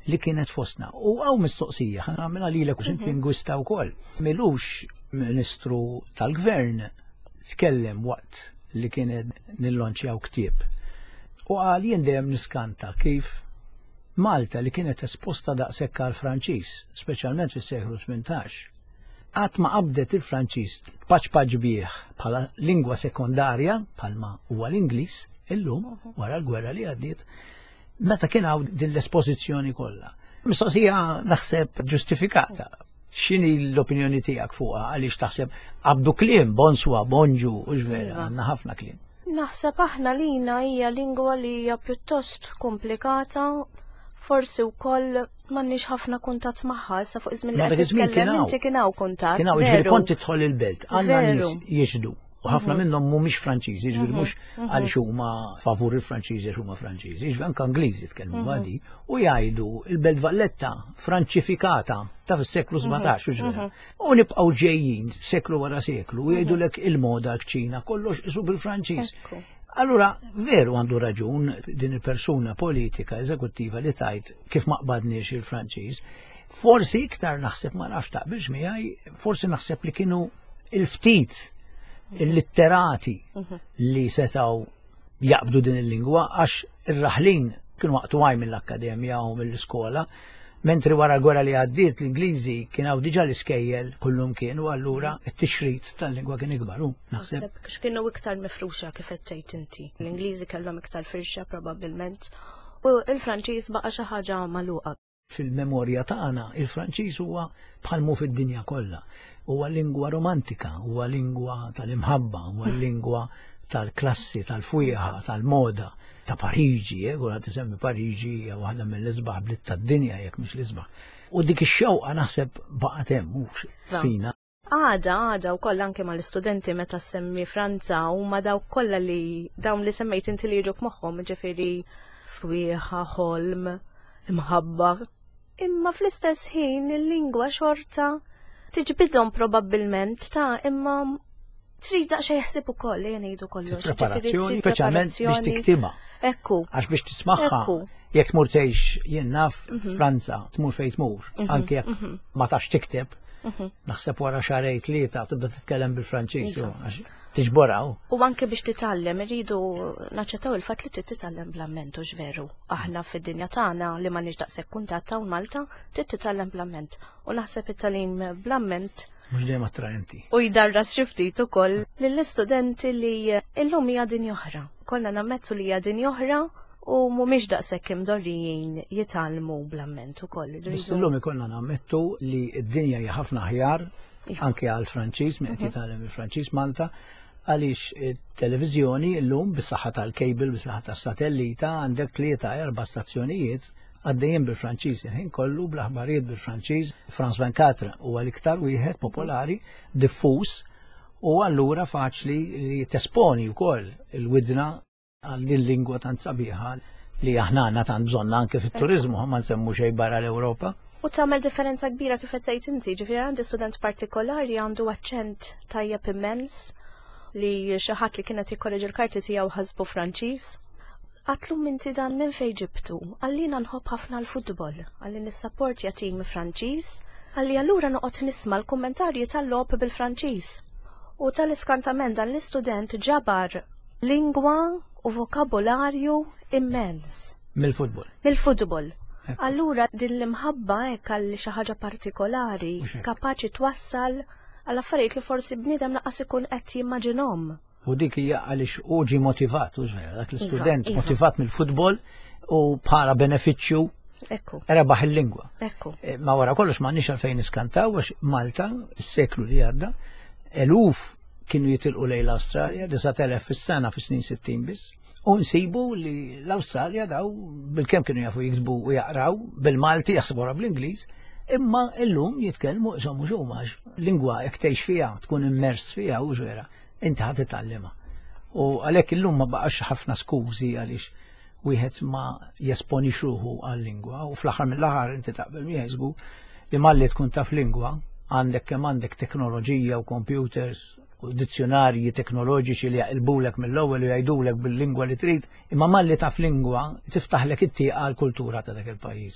S1: li kienet fostna. U għaw mistoqsija, ħa nagħmilha lilek u mhm. lingwista wkoll. Milux ministru tal-gvern tkellem waqt li kienet nillonċjaw ktieb. U qal jien dejjem niskanta kif Malta li kienet esposta daqshekk għal Franċiż, speċjalment fis-seklu 18, qatt ma qabdet il-Franċiż tpaċpaċ bih bħala lingwa sekondarja bħalma huwa l-Ingliż illum wara l-gwerra li għaddiet meta kien hawn din l-espożizzjoni kollha. Mistoqsija naħseb ġustifikata. X'inhi l-opinjoni tiegħek fuqha għaliex taħseb qabdu kliem bonswa, bonġu, u vera, iva. għandna ħafna kliem.
S3: Naħseb aħna lina hija lingwa li hija pjuttost komplikata, forsi wkoll m'għandniex ħafna kuntatt magħha, issa fuq iż-żmien li qed titkellem inti kien hawn kuntatt.
S1: Kien hawn, ġifieri kont tidħol il-belt, għandna nies jixhdu. U ħafna mhm. minnhom mhumiex Franċiżi, ġifieri mhm. mhux mhm. għaliex huma favur il-Franċiżi għax huma Franċiżi, ġifieri anke Ingliżi tkellmu għadi u jgħidu il-Belt Valletta Franċifikata ta' fis-seklu 17 ġifieri. U nibqgħu ġejjin seklu wara seklu u jgħidulek il-moda l-kċina kollox isu bil-Franċiż. Allura, veru għandu raġun din il-persuna politika eżekuttiva li tajt kif ma qbadniex il-Franċiż. Forsi iktar naħseb ma nafx taqbilx miegħi, forsi naħseb li kienu il-ftit il-litterati mhm. li setaw jaqbdu din il-lingwa għax ir-raħlin kienu waqtu għaj mill-akkademja u mill-iskola, mentri wara l-gwerra li għaddiet l-Ingliżi kien hawn diġà l-iskejjel kullum kienu allura t-tixrid tal-lingwa kien ikbar u
S3: naħseb. X'kienu iktar mifruxa kif qed tgħid inti. L-Ingliżi kellhom iktar firxa probabbilment u l-Franċiż baqa' xi ħaġa magħluqa.
S1: Fil-memorja tagħna il-Franċiż huwa bħal mu fid-dinja kollha. Huwa lingwa romantika, huwa lingwa tal-imħabba, huwa lingwa tal-klassi, tal-fwieħa, tal-moda, ta' Pariġi, eh, kulħadd isemmi Pariġi hija waħda mill-isbaħ bliet tad-dinja jekk mhix l-isbaħ. U dik ix-xewqa naħseb baqgħet hemm mhux fina.
S3: Għada, għada wkoll anke mal-istudenti meta semmi Franza huma dawk kollha li dawn li semmejt inti li jiġuk moħħhom, ġifieri fwieħa, ħolm, imħabba. Imma fl-istess ħin il-lingwa xorta tiġbidhom probabbilment ta' imma trid daqsxejn ħsieb ukoll li ngħidu kollox.
S1: Preparazzjoni, speċjalment biex tiktibha.
S3: Ekku.
S1: Għax biex tismagħha. Jekk tmur tgħix jien naf mhm. Franza, tmur fejn tmur, mhm, anke jekk mhm. ma tafx tikteb, naħseb wara xarej tlieta tibda titkellem bil-Franċiż għax tiġboraw.
S3: U anke biex titgħallem irridu naċċettaw il-fatt li trid titgħallem bl-amment u veru. Aħna fid-dinja tagħna li m'għandniex daqshekk kuntatt hawn Malta, trid titgħallem bl-amment. U naħseb it-tagħlim bl-amment
S1: mhux dejjem attraenti.
S3: U jdarras xi ftit ukoll lill-istudenti li illum hija dinja oħra. Kollna nammettu li hija dinja oħra u mhumiex daqshekk imdorrijin jitgħallmu bl-amment ukoll.
S1: Biss illum ikollna nammettu li d-dinja hija ħafna aħjar iva. anke għal Franċiż min qed mhm. jitgħallem il-Franċiż Malta għaliex it-televiżjoni llum bis-saħħa tal-cable, bis-saħħa tas-satellita għandek tlieta erba' stazzjonijiet għaddejjin bil-Franċiż il-ħin kollu bl-aħbarijiet bil-Franċiż. France 24 huwa l-iktar wieħed popolari, diffuż u allura faċli li tesponi wkoll il-widna għal din lingwa tant sabiħa li aħna għandna tant bżonna anke fit-turiżmu ma nsemmu xejn barra l-Ewropa.
S3: U tagħmel differenza kbira kif qed tgħid inti, ġifieri għandi student partikolari għandu aċċent tajjeb immens li xi ħadd li kienet jikkoreġi l-karti tiegħu ħasbu Franċiż. Għatlu minti dan minn fejn ġibtu, għallina nħobb ħafna l-futbol, għalli nissapportja tim Franċiż, għalli allura noqgħod nisma' l-kummentarji tal-logħob bil-Franċiż. U tal-iskantament dan l-istudent ġabar lingwa u vokabolarju immens.
S1: Mill-futbol.
S3: Mill-futbol. Allura din l-imħabba hekk għal xi ħaġa partikolari kapaċi twassal għal affarijiet li forsi bniedem laqas ikun qed jimmaġinhom.
S1: U dik hija għaliex hu ġie motivat, u ġvera, dak iva, l-istudent iva. motivat mill-futbol u bħala benefiċċju
S3: Ekku.
S1: Rebaħ il-lingwa.
S3: Ekku.
S1: Eh, ma wara kollox ma nix għalfejn niskantaw għax Malta, is-seklu li għadda, eluf kienu jitilqu lejn l-Awstralja, 9,000 fis-sena fis-snin 60 biss. U nsibu li l-Awstralja daw bil-kemm kienu jafu jiktbu u jaqraw bil-Malti jaħsbu bl-Ingliż, imma illum jitkellmu isom mhux huma lingwa jekk tgħix fiha tkun immers fiha u vera, inti ħadd titgħallimha. U għalhekk illum ma baqax ħafna skużi għaliex wieħed ma jesponix ruħu għal-lingwa u fl-aħħar mill-aħħar inti taqbel miegħi żgur li malli tkun taf lingwa għandek kemm għandek teknoloġija u computers u dizzjonarji teknoloġiċi li jaqilbulek mill-ewwel u jgħidulek bil-lingwa li trid, imma malli taf lingwa tiftaħlek it-tieqa għall-kultura ta' dak il-pajjiż.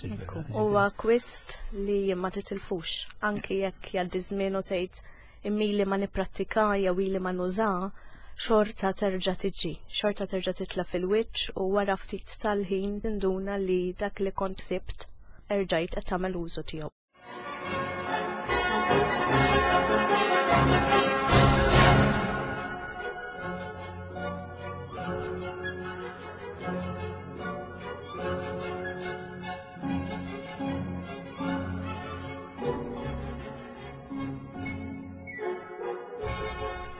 S3: Huwa kwist li ma titilfux, anki jekk jgħaddi żmien u tgħid imma ma nipprattika jew ili ma nuża, xorta terġa' tiġi, xorta terġa' titla' fil-wiċċ u wara ftit tal-ħin tinduna li dak li kont sibt erġajt qed tagħmel użu tiegħu.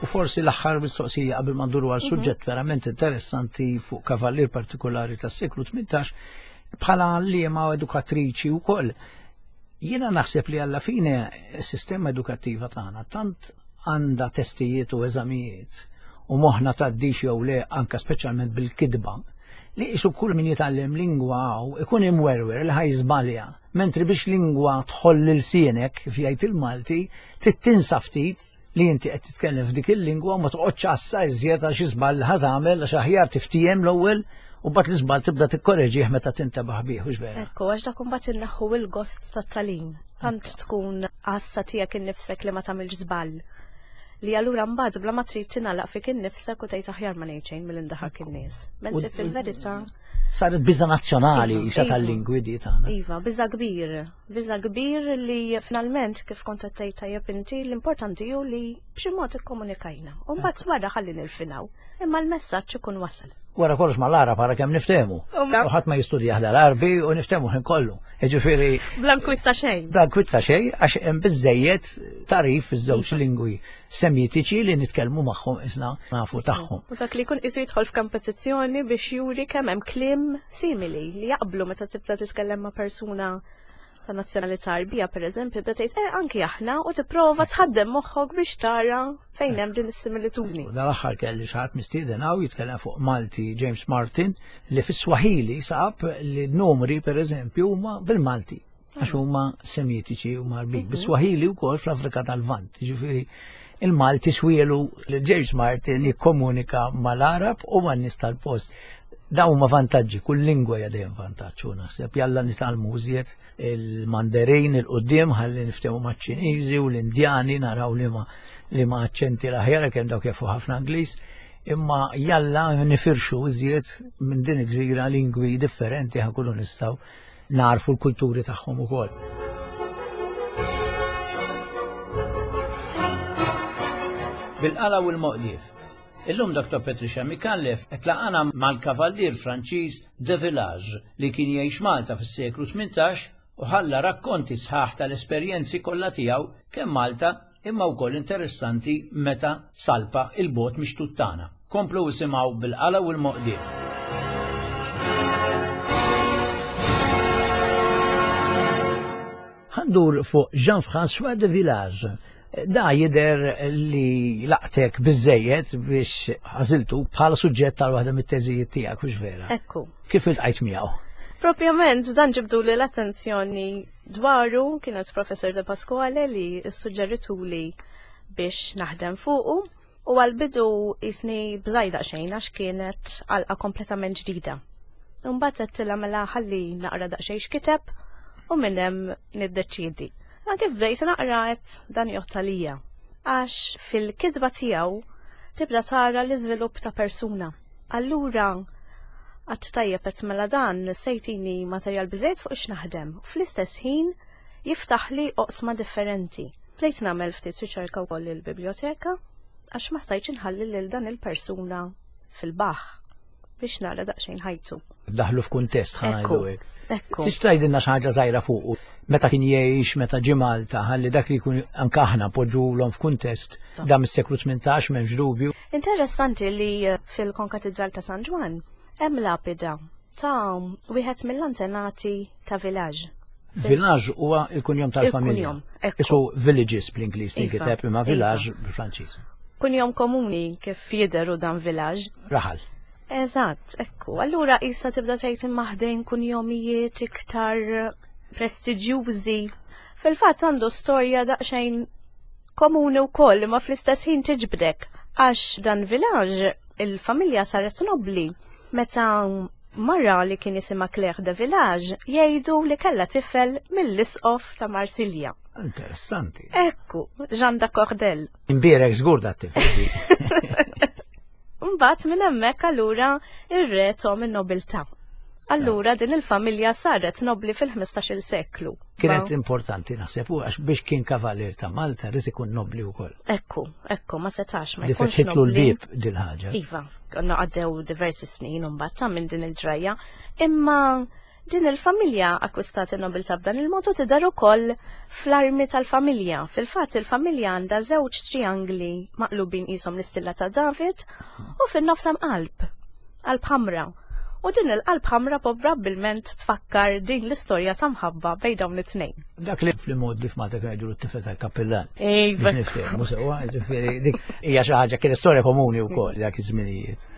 S1: U forsi l-aħħar mistoqsija qabel ma nduru għal mhm. suġġett verament interessanti fuq kavallier partikolari tas-seklu 18 bħala għalliema u edukatriċi wkoll. Jiena naħseb li alla fine s-sistema edukattiva tagħna tant għandha testijiet u eżamijiet u moħħna tgħaddix jew le anka speċjalment bil-kidba li isu kull min jitgħallem lingwa hawn ikun imwerwer li ħaj żbalja. Mentri biex lingwa tħoll lil-sienek, kif jgħid il-Malti, trid tinsa ftit li inti qed titkellem f'dik il-lingwa u ma toqgħodx għassa iżjed għal xi żball li ħa tagħmel għax aħjar tiftiehem l-ewwel u mbagħad l-iżball tibda tikkoreġih meta tintebaħ bih, hux vera?
S3: Ekku, għax dak imbagħad inneħħu il-gost tat-tagħlim. Tant tkun għassa tiegħek innifsek li ma tagħmilx żball. Li allura mbagħad bla ma trid tingħalaq fik innifsek u tgħid aħjar ma ngħid xejn milli ndaħak in-nies. Mentri fil-verità
S1: saret biża nazzjonali iva, isa iva. tal-lingwi di tagħna.
S3: Iva, biża kbir. Biża kbir li finalment kif kont qed tgħid tajjeb inti l-importanti hu li b'xi mod ikkomunikajna. U mbagħad wara ħalli nirfinaw. Imma l-messaġġ ikun wasal.
S1: Wara kollox mal-Arab ara kemm niftehmu. U ħadd ma jistudja l-Arbi u niftehmu ħin kollu. Jiġifieri.
S3: Bla nkwitta xejn.
S1: Bla nkwitta xejn għax hemm biżejjed tarif fiż-żewġ iva. lingwi semitiċi li nitkellmu magħhom isna nafu tagħhom.
S3: U dak li jkun qisu jidħol f'kompetizzjoni biex juri kemm hemm kliem simili li jaqblu meta tibda titkellem ma' persuna ta' nazzjonalità Arbija pereżempju, tibda tgħid eh anki aħna u tipprova tħaddem moħħok biex tara fejn hemm din is-similitudni.
S1: Dal-aħħar kelli xi ħadd mistieden hawn jitkellem fuq Malti James Martin li fis-Swahili sab li n-numri pereżempju huma bil-Malti għax huma semitiċi u marbin. Mhm. Bis-Swahili wkoll fl-Afrika tal-Lvant, ġifieri il-Malti swielu li James Martin jikkomunika mal-Arab u man-nies tal-post. Dawn huma vantaġġi, kull lingwa hija dejjem vantaġġ u naħseb jalla nitgħallmu iżjed il-Mandarin il-qudiem ħalli niftehmu maċ-Ċiniżi u l-Indjani naraw li ma li ma aċċenti l-aħjar kemm dawk jafu ħafna Ingliż, imma jalla nifirxu iżjed minn din il-gżira lingwi differenti ħankunu nistgħu narfu l-kulturi tagħhom ukoll. Bil-qala u l-moqdief. Illum Dr. Patricia Micallef qed laqana mal-kavallier Franċiż De Village li kien jgħix Malta fis-seklu 18 u ħalla rakkonti sħaħ tal-esperjenzi kollha tiegħu kemm Malta imma wkoll interessanti meta salpa il-bogħod mix-xtut tagħna. Komplu isimgħu bil-qala u l-moqdief. Ħandur fuq Jean-François de Village. Da jider li laqtek biżejjed biex għażiltu bħala suġġett tal waħda mit-teżijiet tiegħek, hux vera?
S3: Ekku.
S1: Kif iltqajt miegħu?
S3: Propjament dan ġibdu li l-attenzjoni Dwaru kienet Professor De Pasquale li ssuġġerituli biex naħdem fuqu u għal-bidu jisni bżajda xejn għax kienet għalqa kompletament ġdida. Mbagħad għedtilha mela ħalli naqra daqsxejn x'kiteb u minn hemm niddeċiedi. Ma kif bdejt naqra qed dan jgħodd għalija. Għax fil-kitba tiegħu tibda tara l-iżvilupp ta' persuna. Allura għadt tajjeb qed mela dan se jtini materjal biżejjed fuq x'naħdem u fl-istess ħin jiftaħli oqsma differenti. Bdejt nagħmel ftit riċerka wkoll il-biblioteka għax ma stajtx inħalli lil dan il-persuna fil-baħħ biex nara daqsxejn ħajtu.
S1: Daħlu f'kuntest ħa ngħidu hekk. Ekku. Tista' tgħidilna xi ħaġa żgħira fuqu meta kien jgħix, meta ġie Malta, ħalli dak li jkun anke aħna poġġulhom f'kuntest dan mis-seklu 18 m'hemmx dubju.
S3: Interessanti li fil-Konkatidral ta' San Ġwann. Hemm lapida ta' wieħed mill-antenati ta' Village.
S1: Village huwa il-kunjom tal-familja. Isu villages bl-Ingliż tinkiteb imma village iva. bil-Franċiż.
S3: Kunjom komuni kif jidheru dan village.
S1: Raħal.
S3: Eżatt, ekku. Allura issa tibda tgħid imma ħdejn kunjomijiet iktar prestiġjużi. Fil-fatt għandu storja daqsxejn komuni wkoll imma fl-istess ħin tiġbdek għax dan village il-familja saret nobli meta mara li kien jisimha Claire de Village jgħidu li kellha tifel mill-isqof ta' Marsilja.
S1: Interessanti.
S3: Ekku, Jean da Cordel.
S1: Imbierek żgur da tifel.
S3: Mbagħad minn hemmhekk allura ir-re tom in-nobiltà. Allura din il-familja saret nobli fil-15-il seklu.
S1: Kienet importanti naħseb u għax biex kien kavalier ta' Malta rrid ikun nobli wkoll.
S3: Ekku, ekku, ma setax ma
S1: jkunx. Li fetħitlu l-bieb dil-ħaġa.
S3: Iva, konna għaddew diversi snin mbagħad ta' minn din il-ġrajja, imma din il-familja akkwistat in-nobiltà b'dan il-mod u tidher ukoll fl-armi tal-familja. Fil-fatt il-familja għandha żewġ triangli maqlubin qishom l-istilla ta' David u fin-nofs hemm qalb, qalb ħamra. U din il-qalb ħamra probabbilment tfakkar din l-istorja ta' mħabba bejn dawn it-tnejn.
S1: Dak li fl-mod li f'Malta kienu jgħidu t-tifel tal-kappillan.
S3: Iva.
S1: Biex niftehmu sewwa, ġifieri dik hija xi ħaġa kienet storja komuni wkoll dak iż-żminijiet.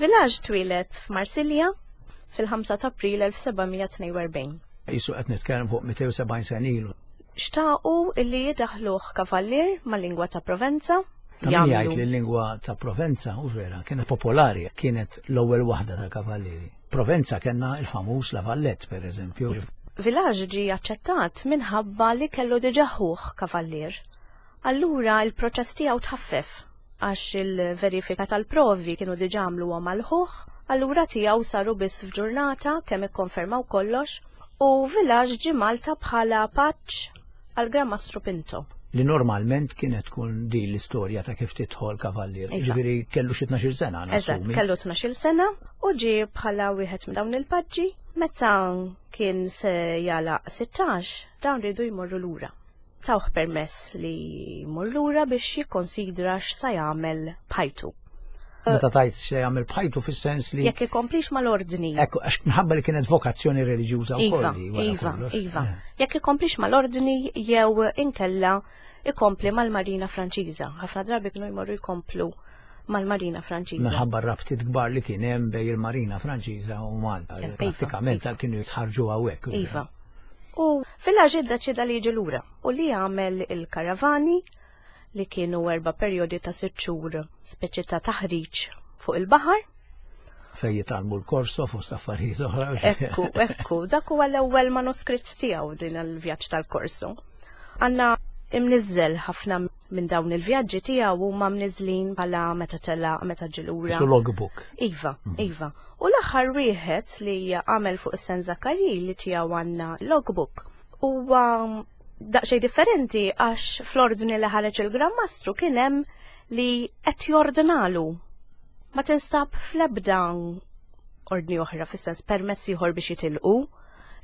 S3: Village twieled f'Marsilja fil-5 ta' April 1742.
S1: Jisu qed nitkellem fuq 270 sena ilu.
S3: Xtaqu illi jidaħluh kavallier mal-lingwa ta' Provenza.
S1: Ta' min jgħid li l-lingwa ta' Provenza, u vera, kienet popolari, kienet l-ewwel waħda ta' kavallieri. Provenza kellna il-famuż La Valette, per eżempju.
S3: Village ġie aċċettat minħabba li kellu diġà ħuh kavallier. Allura il-proċess tiegħu tħaffef għax il-verifika tal-provi kienu diġà għamluhom għal ħuh, allura tiegħu saru biss f'ġurnata kemm ikkonfermaw kollox u Village ġie Malta bħala paġġ għal Gran Mastru Pinto.
S1: Li normalment kienet tkun din l-istorja ta' kif tidħol kavallier.
S3: Iva.
S1: Ġifieri kellu xi 12-il sena
S3: Eżatt,
S1: nassumi.
S3: kellu 12-il sena u ġie bħala wieħed minn dawn il-paġġi. Meta kien se jagħlaq 16, dawn riedu jmorru lura. Tawh permess li jmur lura biex jikkonsidra x'sa jagħmel b'ħajtu.
S1: Meta tajt se jagħmel b'ħajtu fis-sens li
S3: Jekk ikomplix mal-ordni.
S1: Ekku, għax minħabba li kienet vokazzjoni reliġjuża
S3: Iva,
S1: wkoll li wara
S3: iva,
S1: kollox.
S3: iva.
S1: Eh.
S3: Jekk ikomplix mal-ordni jew inkella ikompli mal-Marina Franċiża. Ħafna drabi kienu jmorru jkomplu mal-Marina Franċiża.
S1: Minħabba r-rabtiet kbar li kien hemm bejn il-Marina Franċiża u Malta.
S3: Iva,
S1: Prattikament
S3: iva.
S1: kienu jitħarġu hawnhekk.
S3: Iva. U fil-ħaġa iddeċieda li jiġi lura u li jagħmel il-karavani li kienu erba' perjodi ta' sitt xhur speċi ta' taħriġ fuq il-baħar.
S1: Fejn jitgħallmu l-korso fost affarijiet oħra.
S3: Ekku, ekku, dak huwa l-ewwel manuskritt tiegħu din il-vjaġġ tal-korso. Għandna imniżżel ħafna minn dawn il-vjaġġi tiegħu huma mniżlin bħala meta telaq, meta ġie lura.
S1: Su logbook.
S3: Iva, iva. U l-aħħar wieħed li għamel fuq is-San Zakari li tiegħu għandna logbook huwa daqsxejn differenti għax fl-ordni li ħareġ il-Gran Mastru kien hemm li qed jordnalu. Ma tinstab fl-ebda ordni oħra fis-sens permess ieħor biex jitilqu,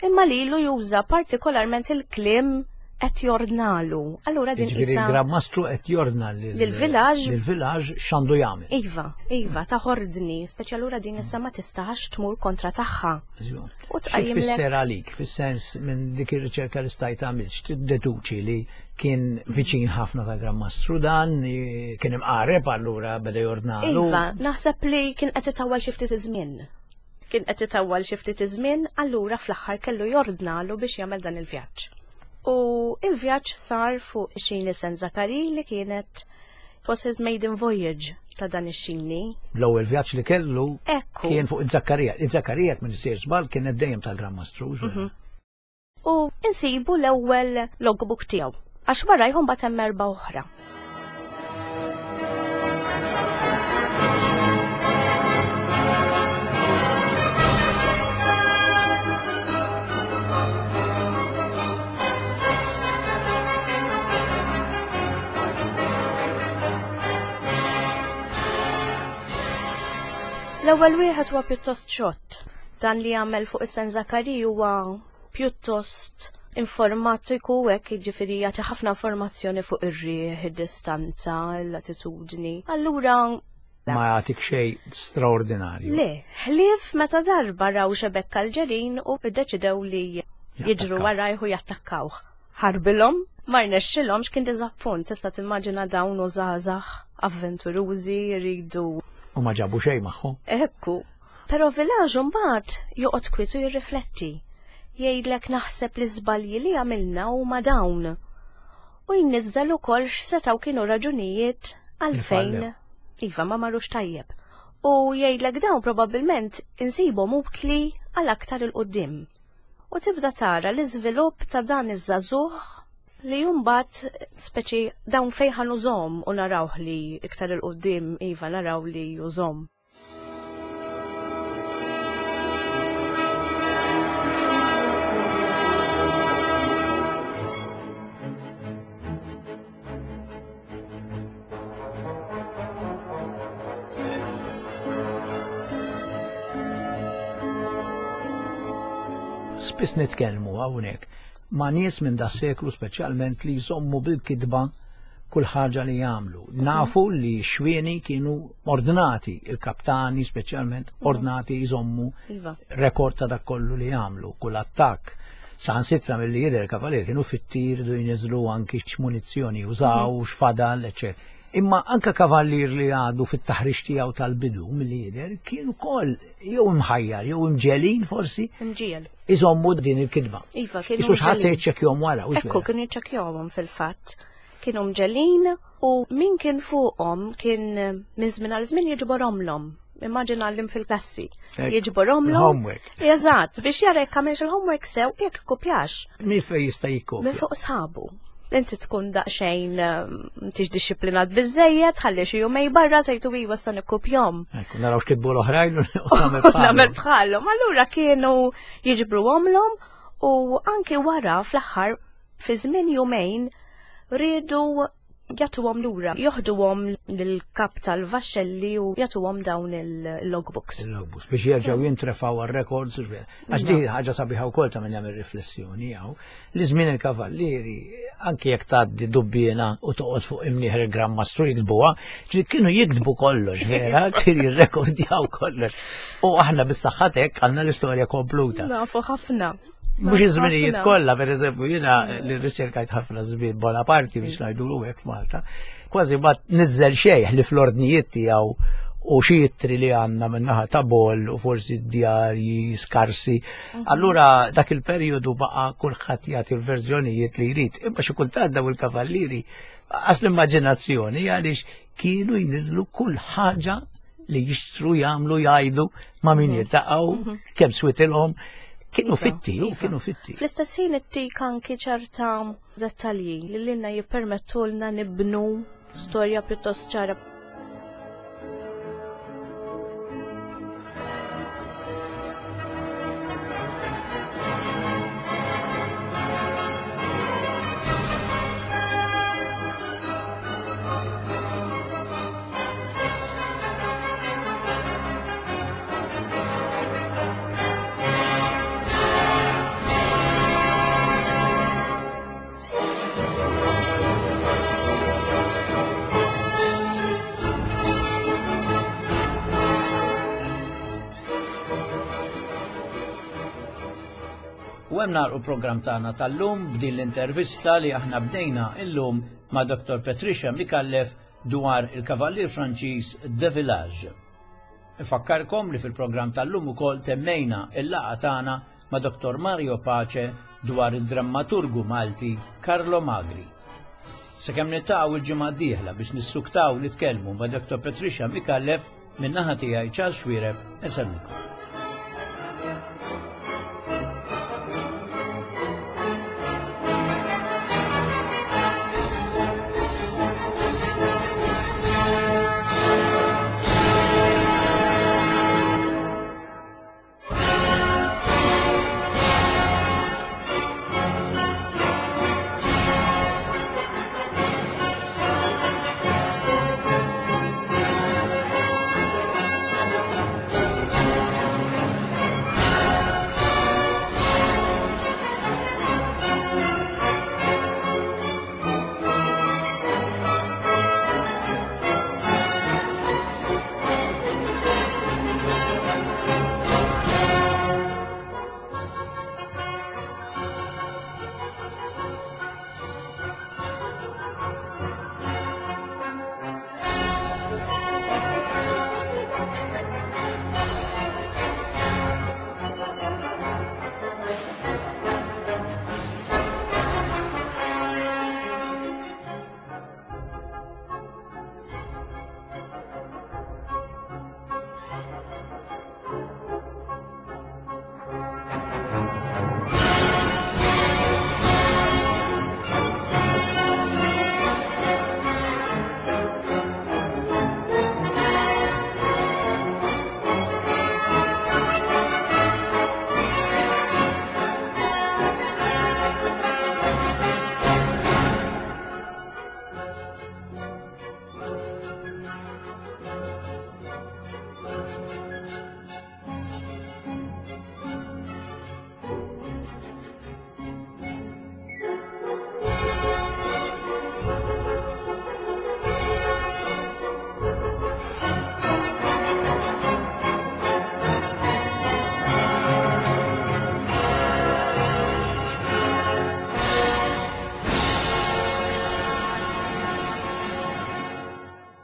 S3: imma lilu juża partikolarment il-kliem qed jordnalu. Allura din
S1: Jiġifieri
S3: isa
S1: il-Gran Mastru qed jordna
S3: Lil-villaġġ.
S1: lil-villaġġ x'għandu jagħmel.
S3: Iva, iva, ta' ordni, speċi allura din issa ma tistax tmur kontra tagħha.
S1: Żgur.
S3: U
S1: Xi
S3: tqajjimlek
S1: tfisser għalik, fis-sens minn dik ir-riċerka li stajt għamilt, x'tiddeduċi li kien viċin ħafna ta' Gran Mastru dan, kien imqareb allura beda jordnalu.
S3: Iva, naħseb li kien qed itawwal xi ftit iż-żmien. Kien qed itawwal xi ftit iż-żmien, allura fl-aħħar kellu jordnalu biex jagħmel dan il-vjaġġ. U il-vjaġġ sar fuq ix-xini San Zakari li kienet it was his maiden voyage ta' dan ix-xini.
S1: L-ewwel vjaġġ li kellu
S3: Ekku.
S1: kien fuq iż-Zakkarija. Iż-Zakkarija minn sir żball kienet dejjem tal-Gran Mastru.
S3: U insibu l-ewwel logbook tiegħu. Għax warajhom bagħad hemm erba' oħra. L-ewwel wieħed huwa pjuttost xott. Dan li għamel fuq is-San Zakari huwa pjuttost informatiku hekk jiġifieri jagħti ħafna informazzjoni fuq ir-riħ, id-distanza, l-latitudni. Allura
S1: ma jagħtik xejn straordinarju.
S3: Le, ħlief meta darba raw xebekk Alġerin u ddeċidew li jiġru warajh u jattakkawh. Ħarbilhom, ma rnexxilhomx kien diżappunt, tista' timmaġina dawn u żgħażagħ avventurużi jridu.
S1: U ma ġabu xejn magħhom.
S3: Ekku. Però Village mbagħad joqgħod kwiet u jirrifletti. Jgħidlek naħseb li żbalji li għamilna huma dawn. U jniżżel ukoll x'setgħu kienu raġunijiet għalfejn iva ma marrux tajjeb. U jgħidlek dawn probabbilment insibhom utli għal aktar 'il quddiem. U tibda tara l-iżvilupp ta' dan iż-żagħżugħ li mbagħad speċi dawn fejn ħa nużhom u narawh li iktar 'il quddiem iva naraw li jużhom.
S1: Spiss nitkellmu hawnhekk ma' nies minn da seklu speċjalment li jżommu bil-kitba kull ħaġa li jagħmlu. Nafu li xwieni kienu ordnati, il-kaptani speċjalment ordnati jżommu iva. rekord ta' dak kollu li jagħmlu, kull attakk. Saħansitra milli jidher kavalier kienu fit-tir du jniżlu anki x'munizzjoni użaw, mhm. x'fadal, eċċetera. Imma anka kavallier li għadu fit-taħriġ tiegħu tal-bidu milli jidher kien ukoll jew imħajjar jew imġelin forsi.
S3: Imġiel.
S1: Iżommu din il-kitba.
S3: Iva, kienu.
S1: Isu xħat se jiċċekkjhom wara.
S3: Ekku, kienu jiċċekkjahom fil-fatt. Kienu mġelin u min kien fuqhom kien minn żmien għal żmien jiġborhomlhom immaġina l fil-klassi. Jiġborhomlhom.
S1: Homework.
S3: Eżatt, biex jara jekk għamilx il-homework sew jekk kopjax.
S1: Min fej jista' jikkopja?
S3: Minn fuq sħabu. Inti tkun daqsxejn tix disciplinat biżejjed, ħalli xi jumej barra tgħidu iva sa nikkupjhom.
S1: Ekku, naraw x'kitbu l-oħrajn u nagħmel
S3: bħalhom. Allura kienu jiġbru għomlhom u anki wara fl-aħħar fi żmien jumejn riedu jagħtuhom lura, joħduhom lill-kap tal-vaxxelli u jagħtuhom dawn il-logbooks.
S1: Il-logbooks biex jerġgħu jintrefgħu għar-records. Għax di ħaġa sabiħa wkoll ta' min jagħmel riflessjoni hawn. Li żmien il-kavallieri anki jekk tgħaddi dubbiena u toqgħod fuq imnieħer il-Gran Mastru jiktbuha, ġi kienu jiktbu kollox, vera, kienu jirrekordjaw kollox. U aħna bis-saħħa hekk għandna l-istorja kompluta.
S3: Nafu ħafna.
S1: Mhux iż-żminijiet kollha, pereżempju, jiena li rriċerkajt ħafna żmien Bonaparte biex ngħidu hekk f'Malta, kważi ma niżel xejn li fl-ordnijiet tiegħu u xi ittri li għandna min-naħa ta' Boll u forsi djarji skarsi. Mhm. Allura dak il-perjodu baqa' kulħadd jagħti l-verżjonijiet li jrid. Imma xi kultant daw il-kavallieri għas l-immaġinazzjoni għaliex kienu jniżlu kull ħaġa li jixtru jagħmlu jgħidu ma' min mhm. jiltaqgħu, mhm. kemm switilhom, kienu iva, fitti, u iva. kienu fitti.
S3: Fl-istess ħin ittik anki ċerta dettalji li lilna jippermettulna nibnu storja pjuttost ċara.
S1: U hemm nagħlqu programm tagħna tal-lum b'din l-intervista li aħna bdejna illum ma' Dr. Patricia Micallef dwar il-Kavallier Franċiż De Village. Infakkarkom li fil-programm tal-lum ukoll temmejna il-laqgħa tagħna ma' Dr. Mario Pace dwar id-drammaturgu Malti Carlo Magri. Sakemm niltaqgħu il-ġimgħa d-dieħla biex nissuktaw nitkellmu ma' Dr. Patricia Micallef min-naħa tiegħi Charles Xuereb insellmilkom.